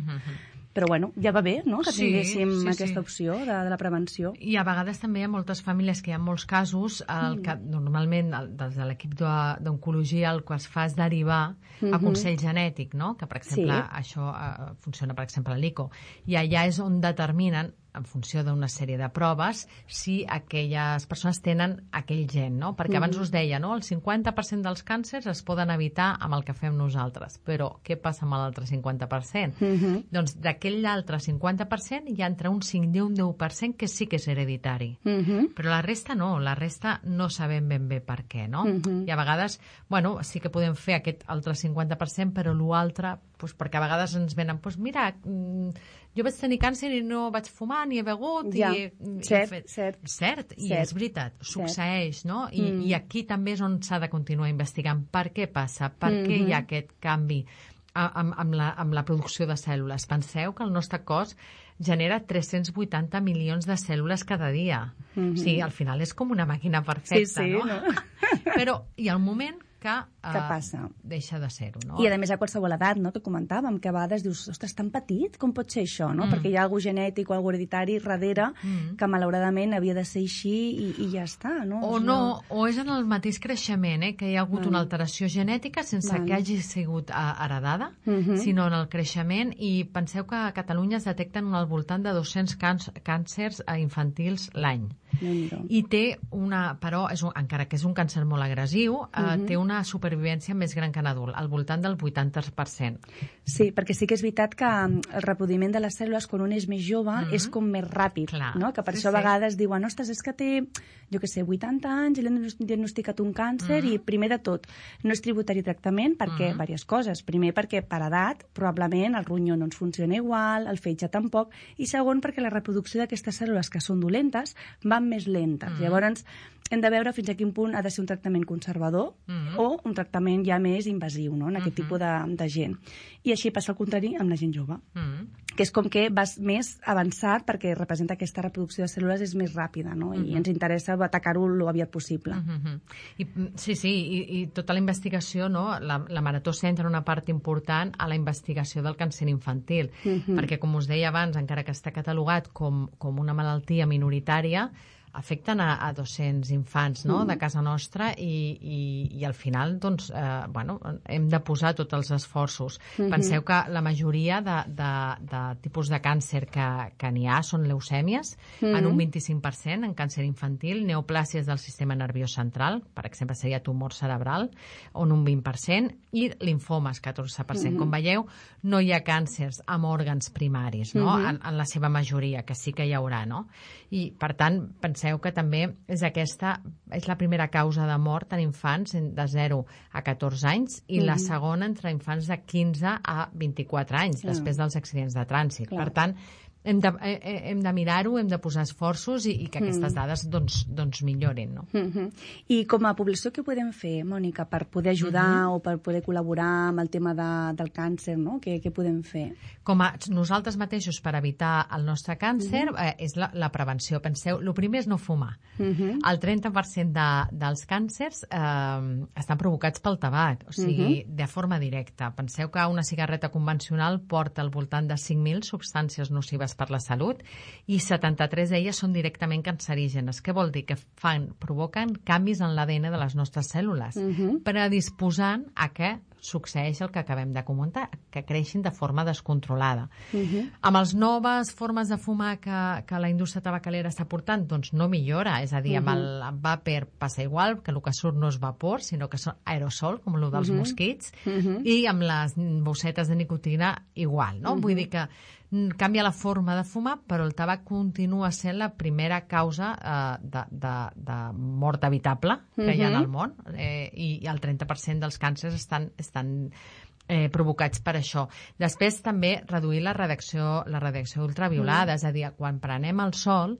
Però bueno, ja va bé, no?, que tinguéssim aquesta opció de la prevenció. I a vegades també hi ha moltes famílies que hi ha molts casos que normalment des de l'equip d'oncologia el que es fa és derivar a consell genètic, no?, que per exemple això funciona per exemple a l'ICO, i allà és on determinen en funció d'una sèrie de proves, si aquelles persones tenen aquell gen, no? Perquè abans us deia, no?, el 50% dels càncers es poden evitar amb el que fem nosaltres, però què passa amb l'altre 50%? Doncs d'aquell altre 50% hi ha entre un 5 i un 10% que sí que és hereditari, però la resta no sabem ben bé per què, no? I a vegades, bueno, sí que podem fer aquest altre 50%, però l'altre, perquè a vegades ens venen, mira, jo vaig tenir càncer i no vaig fumar ni he begut. Cert, i és veritat, succeeix, no? I aquí també és on s'ha de continuar investigant per què passa, per què hi ha aquest canvi amb la producció de cèl·lules. Penseu que el nostre cos genera 380 milions de cèl·lules cada dia. O sigui, al final és com una màquina perfecta, no? Però hi ha un moment que passa? Deixa de ser-ho, no? I a més a qualsevol edat, no?, que comentàvem, que a vegades dius, ostres, tan petit, com pot ser això, no? Perquè hi ha algú genètic o algú hereditari darrere que malauradament havia de ser així i ja està, no? O és en el mateix creixement, que hi ha hagut una alteració genètica sense que hagi sigut heredada, sinó en el creixement, i penseu que a Catalunya es detecten al voltant de 200 càncers infantils l'any. I té però, encara que és un càncer molt agressiu, té una supervivència més gran que en adult, al voltant del 80%. Sí, perquè sí que és veritat que el reproduïment de les cèl·lules quan un és més jove és com més ràpid, no? Que per això a vegades diuen, ostres, és que té, jo què sé, 80 anys i li han diagnosticat un càncer i primer de tot, no és tributari tractament perquè, diverses coses. Primer perquè per edat probablement el ronyó no ens funciona igual, el fetge tampoc, i segon perquè la reproducció d'aquestes cèl·lules que són dolentes van més lentes. Llavors hem de veure fins a quin punt ha de ser un tractament conservador o un tractament ja més invasiu, no?, en aquest tipus de gent. I així passa al contrari amb la gent jove, que és com que vas més avançat perquè representa aquesta reproducció de cèl·lules és més ràpida, no?, i ens interessa atacar-ho el aviat possible. I tota la investigació, no?, la Marató centra una part important a la investigació del càncer infantil, perquè, com us deia abans, encara que està catalogat com una malaltia minoritària, afecten a 200 infants, no?, de casa nostra i al final, doncs, hem de posar tots els esforços. Penseu que la majoria de tipus de càncer que n'hi ha són leucèmies, en un 25%, en càncer infantil, neoplàsies del sistema nerviós central, per exemple, seria tumor cerebral, en un 20%, i linfomes, 14%. Com veieu, no hi ha càncers amb òrgans primaris, no?, en la seva majoria, que sí que hi haurà, no? I, per tant, penseu que també és la primera causa de mort en infants de 0 a 14 anys i la segona entre infants de 15 a 24 anys, després dels accidents de trànsit. Per tant, hem de mirar-ho, hem de posar esforços i que aquestes dades doncs millorin, no? I com a població, què podem fer, Mònica, per poder ajudar o per poder col·laborar amb el tema del càncer, no? Què podem fer? Com a nosaltres mateixos, per evitar el nostre càncer, és la prevenció. Penseu, el primer és no fumar. El 30% dels càncers estan provocats pel tabac, o sigui, de forma directa. Penseu que una cigarreta convencional porta al voltant de 5.000 substàncies nocives per la salut i 73 d'elles són directament cancerígenes. Què vol dir? Que provoquen canvis en l'ADN de les nostres cèl·lules, predisposant a que succeeix el que acabem de comentar, que creixin de forma descontrolada. Amb les noves formes de fumar que la indústria tabacalera està portant, doncs no millora, és a dir, amb el vapor passa igual, que el que surt no és vapor, sinó que són aerosol, com el dels mosquits, i amb les bossetes de nicotina igual, no? Vull dir que canvia la forma de fumar, però el tabac continua sent la primera causa de mort evitable que hi ha en el món, i el 30% dels càncers estan provocats per això. Després també reduir la radiació ultraviolada, és a dir, quan prenem el sol,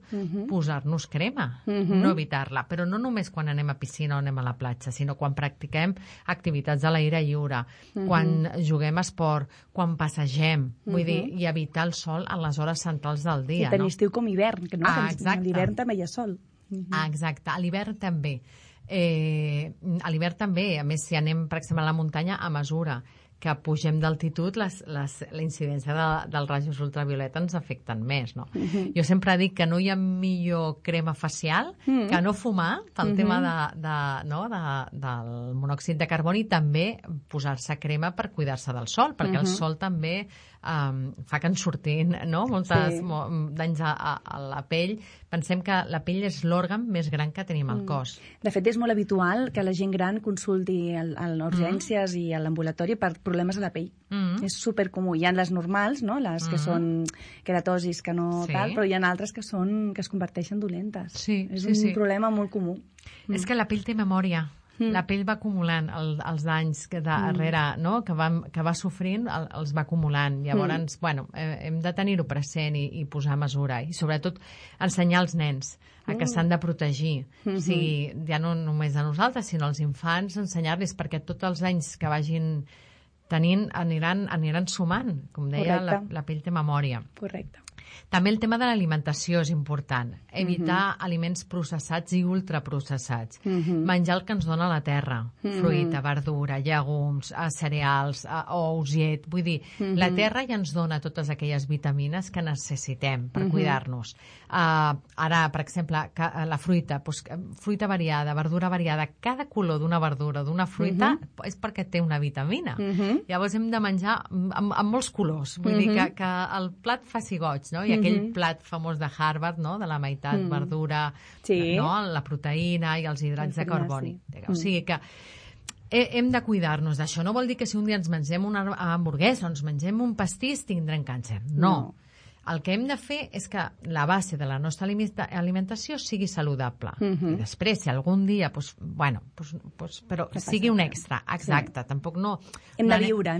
posar-nos crema, no evitar-la, però no només quan anem a piscina o anem a la platja, sinó quan practiquem activitats a l'aire lliure, quan juguem a esport, quan passegem, vull dir, i evitar el sol a les hores centrals del dia. Sí, tant estiu com hivern, que no? A l'hivern també hi ha sol. Exacte, a l'hivern també. A l'hivern també, a més, si anem, per exemple, a la muntanya, a mesura que pugem d'altitud, la incidència dels rajos ultravioleta ens afecten més, no? Jo sempre dic que no hi ha millor crema facial que no fumar, pel tema del monòxid de carboni, i també posar-se crema per cuidar-se del sol, perquè el sol també fa que ens surtin molts danys a la pell. Pensem que la pell és l'òrgan més gran que tenim al cos. De fet, és molt habitual que la gent gran consulti a les urgències i a l'ambulatori per problemes a la pell. És supercomú. Hi ha les normals, no?, les que són queratosis, que no tal, però hi ha altres que es converteixen dolentes. És un problema molt comú. És que la pell té memòria. La pell va acumulant els danys darrere, no?, que va sofrint, els va acumulant. Llavors, hem de tenir-ho present i posar mesura. I sobretot ensenyar als nens a que s'han de protegir. O sigui, ja no només a nosaltres, sinó als infants, ensenyar-los, perquè tots els anys que vagin aniran sumant. Com deia, la pell té memòria. Correcte. També el tema de l'alimentació és important. Evitar aliments processats i ultraprocessats. Menjar el que ens dona la terra. Fruita, verdura, llegums, cereals, ous, llet. Vull dir, la terra ja ens dona totes aquelles vitamines que necessitem per cuidar-nos. Ara, per exemple, la fruita, fruita variada, verdura variada. Cada color d'una verdura, d'una fruita, és perquè té una vitamina. Llavors hem de menjar amb molts colors. Vull dir que el plat faci goig, no? I aquell plat famós de Harvard, no?, de la meitat verdura, no?, la proteïna i els hidrats de carboni. O sigui que hem de cuidar-nos d'això. No vol dir que si un dia ens mengem una hamburguesa o ens mengem un pastís tindrem càncer. No. El que hem de fer és que la base de la nostra alimentació sigui saludable. I després, si algun dia, però sigui un extra. Exacte, tampoc no... Hem de viure.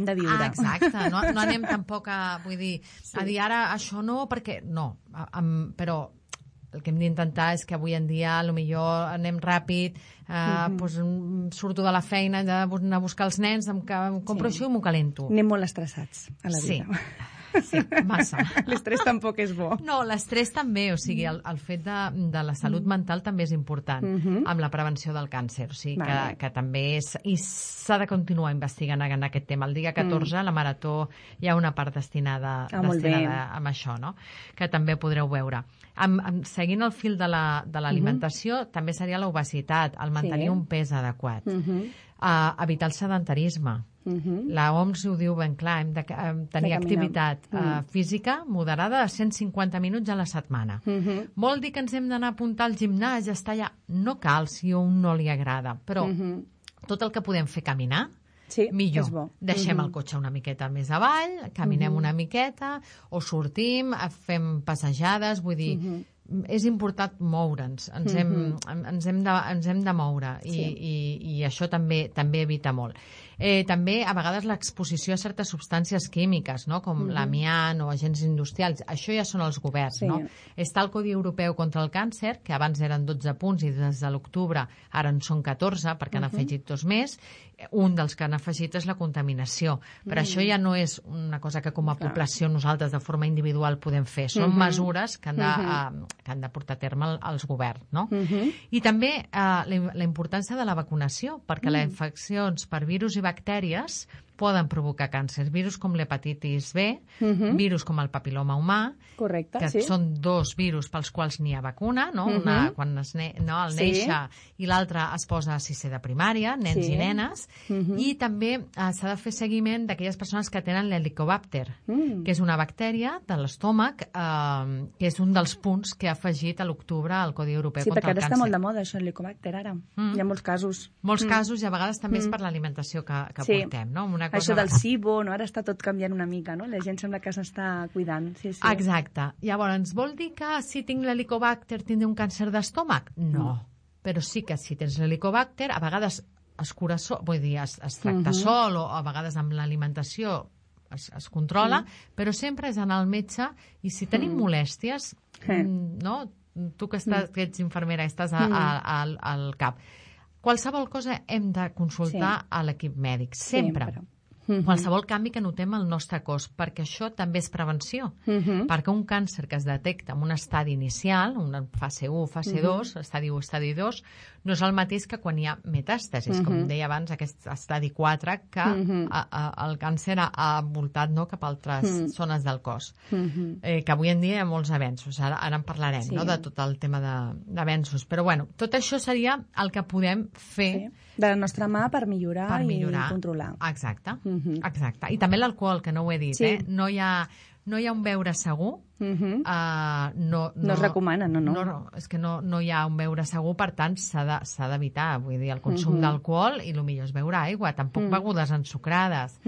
Exacte, no anem tampoc a dir ara això no, perquè no. Però el que hem d'intentar és que avui en dia potser anem ràpid, surto de la feina, de anar a buscar els nens, em compro això i m'ho calento. Anem molt estressats a la vida. Sí, massa. L'estrès tampoc és bo. No, l'estrès també, o sigui, el fet de la salut mental també és important amb la prevenció del càncer, o sigui, que també és... I s'ha de continuar investigant en aquest tema. El dia 14, la Marató, hi ha una part destinada a això, no?, que també podreu veure. Seguint el fil de l'alimentació, també seria l'obesitat, el mantenir un pes adequat. Evitar el sedentarisme. La OMS ho diu ben clar, hem de tenir activitat física moderada de 150 minuts a la setmana. Vol dir que ens hem d'anar a apuntar al gimnàs, estar allà? No cal, si a un no li agrada, però tot el que podem fer caminar, millor. Deixem el cotxe una miqueta més avall, caminem una miqueta, o sortim, fem passejades, vull dir... És important moure'ns, ens hem de moure i això també evita molt. També, a vegades, l'exposició a certes substàncies químiques, no?, com l'amiant o agents industrials. Això ja són els governs, no? Està el Codi Europeu contra el Càncer, que abans eren 12 punts i des de l'octubre ara en són 14, perquè han afegit 2 més. Un dels que han afegit és la contaminació. Però això ja no és una cosa que com a població nosaltres de forma individual podem fer. Són mesures que han de portar a terme els governs, no? I també la importància de la vacunació, perquè les infeccions per virus i bactèries poden provocar càncer. Virus com l'hepatitis B, virus com el papiloma humà, que són 2 virus pels quals n'hi ha vacuna, no? Una quan al néixer i l'altra es posa a 6è de primària, nens i nenes, i també s'ha de fer seguiment d'aquelles persones que tenen l'helicobacter, que és una bactèria de l'estómac, que és un dels punts que ha afegit a l'octubre al Codi Europeu contra el Càncer. Sí, perquè ara està molt de moda això, l'helicobacter, ara. Hi ha molts casos. Molts casos, i a vegades també és per l'alimentació que portem, no? Això del SIBO, no? Ara està tot canviant una mica, no? La gent sembla que s'està cuidant. Exacte. Llavors, vol dir que si tinc l'helicobacter tindré un càncer d'estómac? No. Però sí que si tens l'helicobacter, a vegades es cura vull dir, es tracta sol, o a vegades amb l'alimentació es controla, però sempre és anar al metge, i si tenim molèsties, no? Tu que ets infermera i estàs al CAP, qualsevol cosa hem de consultar a l'equip mèdic, sempre. Qualsevol canvi que notem al nostre cos, perquè això també és prevenció. Perquè un càncer que es detecta en un estadi inicial, una fase 1, fase 2, estadi 1, estadi 2, no és el mateix que quan hi ha metàstasis, com deia abans, aquest estadi 4, que el càncer ha voltat cap a altres zones del cos. Que avui en dia hi ha molts avenços, ara en parlarem, de tot el tema d'avenços. Però bueno, tot això seria el que podem fer de la nostra mà per millorar i controlar. Exacte. I també l'alcohol, que no ho he dit, no hi ha un beure segur. No es recomana, no. És que no hi ha un beure segur, per tant s'ha d'evitar, vull dir, el consum d'alcohol, i el millor és beure aigua, tampoc begudes ensucrades.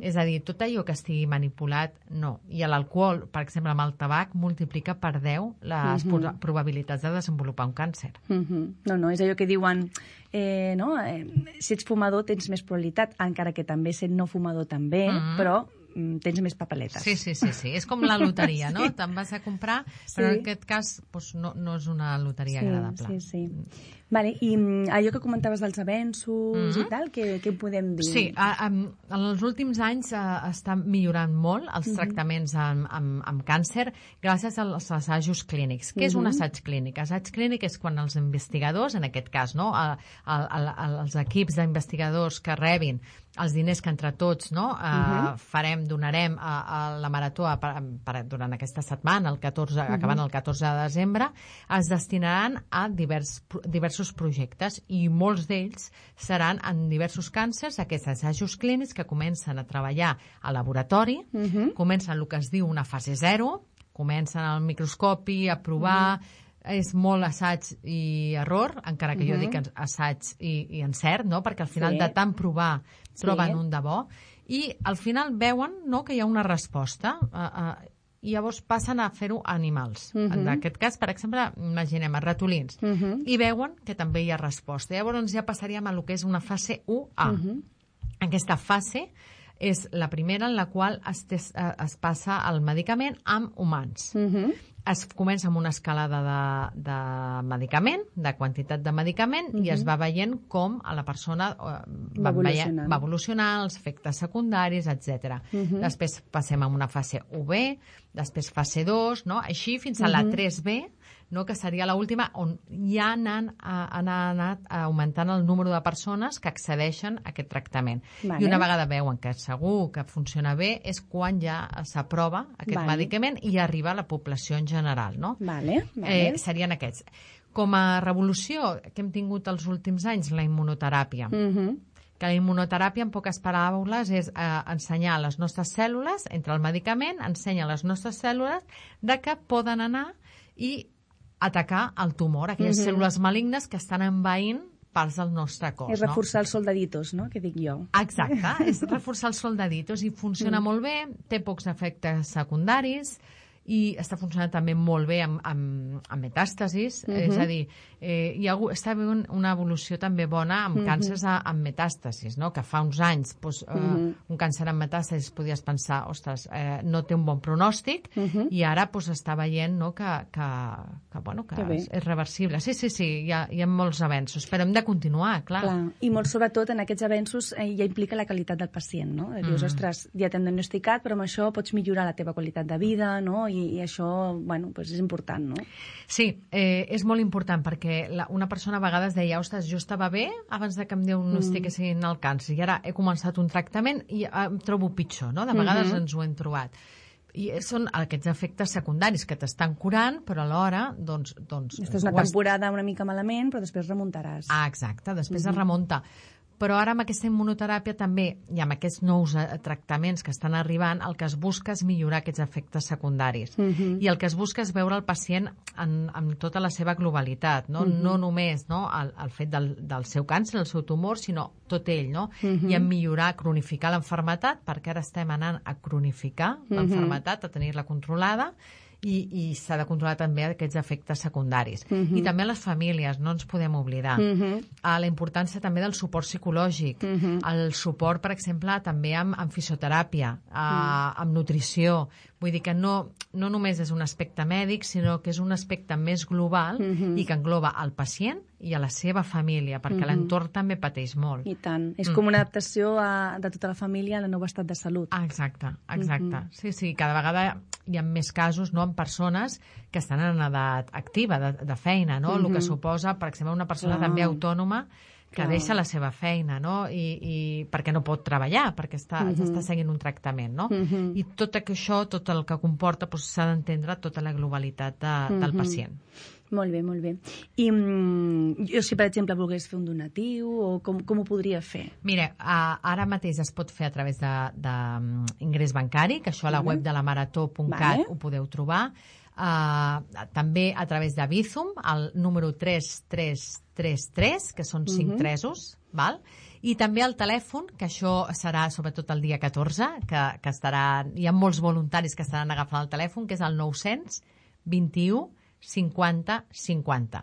És a dir, tot allò que estigui manipulat, no. I l'alcohol, per exemple, amb el tabac, multiplica per 10 les probabilitats de desenvolupar un càncer. No, és allò que diuen, si ets fumador tens més probabilitat, encara que també sent no fumador també, però tens més papeletes. Sí. És com la loteria, no? Te'n vas a comprar, però en aquest cas no és una loteria agradable. Vale, i allò que comentaves dels avenços i tal, què podem dir? Sí, en els últims anys està millorant molt els tractaments amb càncer gràcies als assajos clínics. Què és un assaig clínic? Assaig clínic és quan els investigadors, en aquest cas, no, els equips d'investigadors que rebin els diners que entre tots donarem a la Marató durant aquesta setmana, acabant el 14 de desembre, es destinaran a diversos projectes i molts d'ells seran en diversos càncers, aquests assajos clínics que comencen a treballar al laboratori, comencen el que es diu una fase 0, comencen al microscopi a provar, és molt assaig i error, encara que jo dic assaig i encert, no? Perquè al final de tant provar troben un de bo, i al final veuen que hi ha una resposta, i llavors passen a fer-ho a animals. En aquest cas, per exemple, imaginem a ratolins, i veuen que també hi ha resposta. Llavors ja passaríem a lo que és una fase 1A. Aquesta fase és la primera en la qual es passa el medicament amb humans. Es comença amb una escalada de medicament, de quantitat de medicament, i es va veient com a la persona va evolucionar, els efectes secundaris, etc. Després passem a una fase 1B, després fase 2, així fins a la 3B, que seria l'última, on ja han anat augmentant el número de persones que accedeixen a aquest tractament. I una vegada veuen que segur que funciona bé és quan ja s'aprova aquest medicament i arriba a la població en general. Serien aquests. Com a revolució que hem tingut els últims anys, la immunoteràpia. Que la immunoteràpia, en poques paraules, és ensenyar a les nostres cèl·lules, entre el medicament, ensenya a les nostres cèl·lules de que poden anar i atacar el tumor, aquelles cèl·lules malignes que estan envaint parts del nostre cos. És reforçar els soldaditos, que dic jo. Exacte, és reforçar els soldaditos i funciona molt bé, té pocs efectes secundaris i està funcionant també molt bé amb metàstasis, és a dir, està havent una evolució també bona amb càncers amb metàstasis, que fa uns anys un càncer amb metàstasis podies pensar, ostres, no té un bon pronòstic, i ara està veient que és reversible. Sí, hi ha molts avenços, però hem de continuar, clar. I molt sobretot en aquests avenços ja implica la qualitat del pacient, no? Dius, ostres, ja t'hem diagnosticat, però amb això pots millorar la teva qualitat de vida, no? I això, és important, no? Sí, és molt important, perquè una persona a vegades deia, ostres, jo estava bé abans que em diagnostiquessin el càncer, i ara he començat un tractament i em trobo pitjor, no? De vegades ens ho hem trobat. I són aquests efectes secundaris que t'estan curant, però alhora, Estàs una temporada una mica malament, però després remuntaràs. Exacte, després es remunta. Però ara amb aquesta immunoteràpia també, i amb aquests nous tractaments que estan arribant, el que es busca és millorar aquests efectes secundaris. I el que es busca és veure el pacient en tota la seva globalitat, no només el fet del seu càncer, el seu tumor, sinó tot ell, i en millorar, cronificar l'enfermetat, perquè ara estem anant a cronificar l'enfermetat, a tenir-la controlada, i s'ha de controlar també aquests efectes secundaris. I també a les famílies, no ens podem oblidar. La importància també del suport psicològic, el suport, per exemple, també amb fisioteràpia, amb nutrició. Vull dir que no només és un aspecte mèdic, sinó que és un aspecte més global i que engloba el pacient i a la seva família, perquè l'entorn també pateix molt. I tant. És com una adaptació de tota la família al nou estat de salut. Exacte. Sí, cada vegada hi ha més casos, en persones que estan en edat activa, de feina, no? El que suposa, per exemple, una persona també autònoma que deixa la seva feina, no? I perquè no pot treballar, perquè està seguint un tractament, no? I tot això, tot el que comporta, s'ha d'entendre tota la globalitat del pacient. Molt bé, molt bé. I jo, si per exemple volgués fer un donatiu, o com ho podria fer? Mira, ara mateix es pot fer a través d'ingrés bancari, que això a la web de la marató.cat ho podeu trobar. També a través de Bizum, el número 3333, que són 5 tresos, val? I també el telèfon, que això serà sobretot el dia 14, que hi ha molts voluntaris que estaran agafant el telèfon, que és el 900 21 50-50.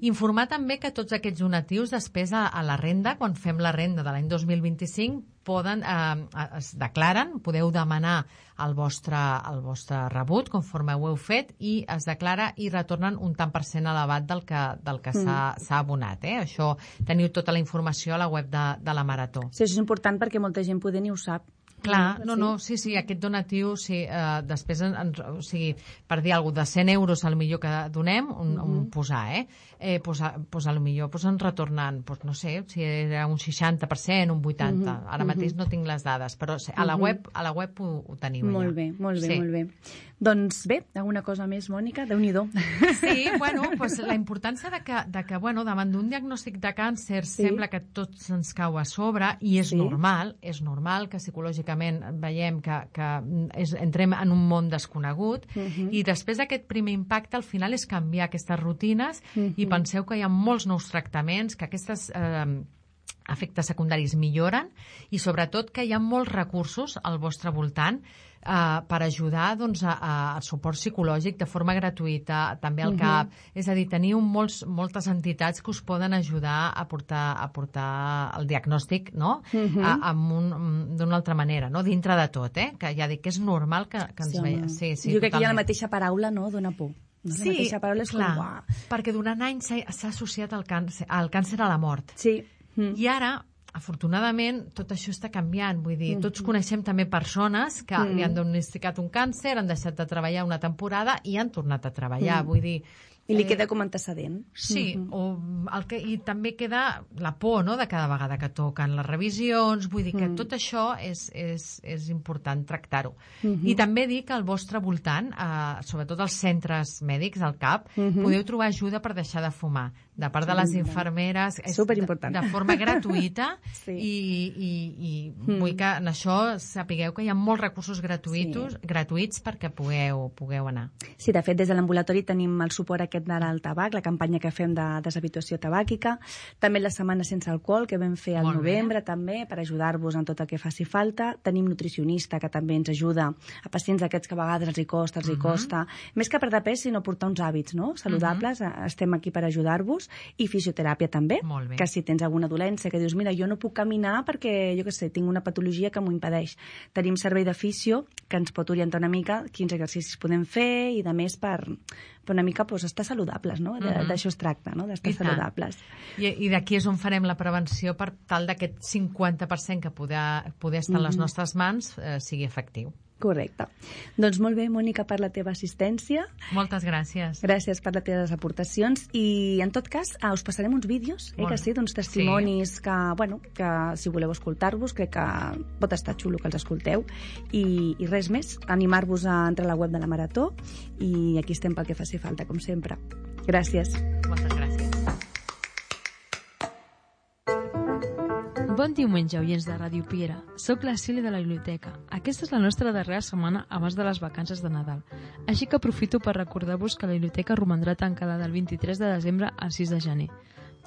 Informar també que tots aquests donatius després a la renda, quan fem la renda de l'any 2025, es declaren, podeu demanar el vostre rebut conforme ho heu fet i es declara i retornen un tant per cent elevat del que s'ha abonat. Això teniu tota la informació a la web de la Marató. Sí, això és important perquè molta gent poder ni ho sap. Clar, sí, aquest donatiu, després, per dir alguna cosa, de 100 euros al millor que donem, posar, al millor ens retornen, no sé, si era un 60%, un 80%, ara mateix no tinc les dades, però a la web ho teniu molt allà. Molt bé. Doncs bé, alguna cosa més, Mònica? Déu-n'hi-do. Sí, la importància de que davant d'un diagnòstic de càncer sembla que tot se'ns cau a sobre i és normal que psicològicament veiem que entrem en un món desconegut i després d'aquest primer impacte al final és canviar aquestes rutines i penseu que hi ha molts nous tractaments, que aquestes efectes secundaris milloren i sobretot que hi ha molts recursos al vostre voltant per ajudar al suport psicològic de forma gratuïta, també al CAP. És a dir, teniu moltes entitats que us poden ajudar a portar el diagnòstic d'una altra manera, dintre de tot, que ja dic que és normal que ens veiem. Jo crec que hi ha la mateixa paraula, dona por. Sí, clar, perquè durant anys s'ha associat el càncer a la mort. Sí. I ara, afortunadament, tot això està canviant. Vull dir, tots coneixem també persones que li han diagnosticat un càncer, han deixat de treballar una temporada i han tornat a treballar. Vull dir... I li queda com antecedent. Sí, i també queda la por, de cada vegada que toquen les revisions. Vull dir que tot això és important tractar-ho. I també dir que al vostre voltant, sobretot als centres mèdics, al CAP, podeu trobar ajuda per deixar de fumar. De part de les infermeres, de forma gratuïta i vull que en això sapigueu que hi ha molts recursos gratuïts perquè pugueu anar. Sí, de fet, des de l'ambulatori tenim el suport aquest d'ara al tabac, la campanya que fem de deshabituació tabàquica, també la setmana sense alcohol que vam fer al novembre també per ajudar-vos en tot el que faci falta. Tenim nutricionista que també ens ajuda a pacients aquests que a vegades els hi costa. Més que perdre pes, sinó portar uns hàbits saludables. Estem aquí per ajudar-vos. I fisioteràpia també, que si tens alguna dolència que dius, mira, jo no puc caminar perquè, jo què sé, tinc una patologia que m'ho impedeix. Tenim servei de fisio que ens pot orientar una mica quins exercicis podem fer i de més per una mica estar saludables, no? D'això es tracta, no? D'estar saludables. I d'aquí és on farem la prevenció per tal d'aquest 50% que poder estar a les nostres mans sigui efectiu. Correcte. Doncs molt bé, Mònica, per la teva assistència. Moltes gràcies. Gràcies per les teves aportacions i, en tot cas, us passarem uns vídeos, d'uns testimonis que si voleu escoltar-vos, crec que pot estar xulo que els escolteu. I res més, animar-vos a entrar a la web de la Marató i aquí estem pel que faci falta, com sempre. Gràcies. Moltes gràcies. Bon diumenge, oients de Ràdio Piera. Soc la Cília de la Biblioteca. Aquesta és la nostra darrera setmana abans de les vacances de Nadal. Així que aprofito per recordar-vos que la biblioteca romandrà tancada del 23 de desembre al 6 de gener.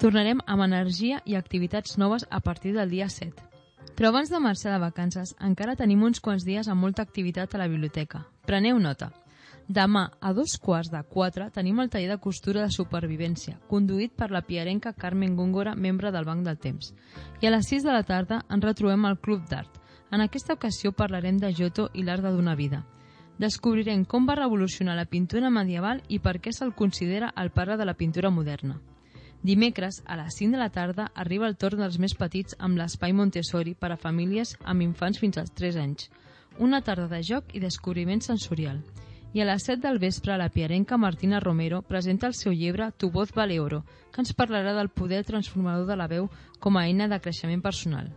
Tornarem amb energia i activitats noves a partir del dia 7. Però abans de marxar de vacances, encara tenim uns quants dies amb molta activitat a la biblioteca. Preneu nota. Demà, a 3:45, tenim el taller de costura de supervivència, conduït per la piarenca Carmen Góngora, membre del Banc del Temps. I a les 6 de la tarda ens retrobem al Club d'Art. En aquesta ocasió parlarem de Giotto i l'art de donar vida. Descobrirem com va revolucionar la pintura medieval i per què se'l considera el pare de la pintura moderna. Dimecres, a les 5 de la tarda, arriba el torn dels més petits amb l'espai Montessori per a famílies amb infants fins als 3 anys. Una tarda de joc i descobriment sensorial. I a les 7 del vespre la piarenca Martina Romero presenta el seu llibre Tu voz vale oro, que ens parlarà del poder transformador de la veu com a eina de creixement personal.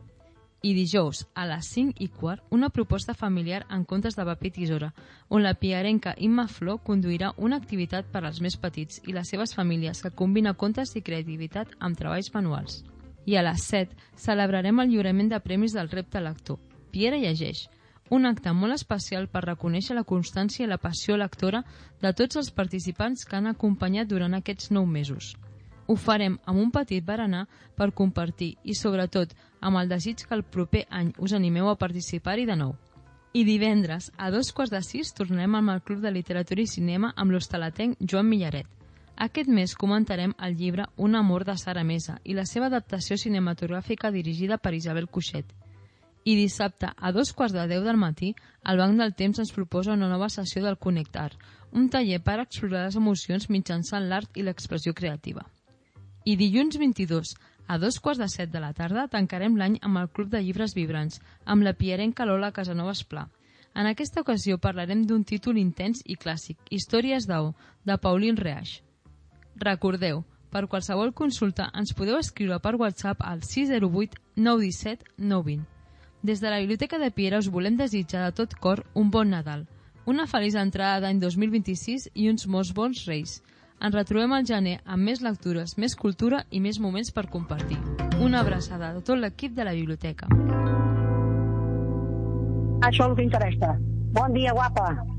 I dijous, a les 5:15, una proposta familiar en contes de paper i tisora, on la piarenca Imma Flor conduirà una activitat per als més petits i les seves famílies que combina contes i creativitat amb treballs manuals. I a les 7 celebrarem el lliurament de premis del repte lector. Piera llegeix, un acte molt especial per reconèixer la constància i la passió lectora de tots els participants que han acompanyat durant aquests 9 mesos. Ho farem amb un petit berenar per compartir i, sobretot, amb el desig que el proper any us animeu a participar-hi de nou. I divendres, a 5:45, tornem amb el Club de Literatura i Cinema amb l'hostalatenc Joan Millaret. Aquest mes comentarem el llibre Un amor de Sara Mesa i la seva adaptació cinematogràfica dirigida per Isabel Cuixet. I dissabte, a 2:15 del matí, el Banc del Temps ens proposa una nova sessió del Connectar, un taller per explorar les emocions mitjançant l'art i l'expressió creativa. I dilluns 22, a 2:15 de la tarda, tancarem l'any amb el Club de Llibres Vibrants, amb la piarenca Lola Casanovas Pla. En aquesta ocasió parlarem d'un títol intens i clàssic, Històries d'Ao, de Pauline Reage. Recordeu, per qualsevol consulta ens podeu escriure per WhatsApp al 608 917 920. Des de la Biblioteca de Piera us volem desitjar de tot cor un bon Nadal, una feliç entrada d'any 2026 i uns molts bons Reis. Ens retrobem al gener amb més lectures, més cultura i més moments per compartir. Una abraçada de tot l'equip de la biblioteca. Això és el que interessa. Bon dia, guapa.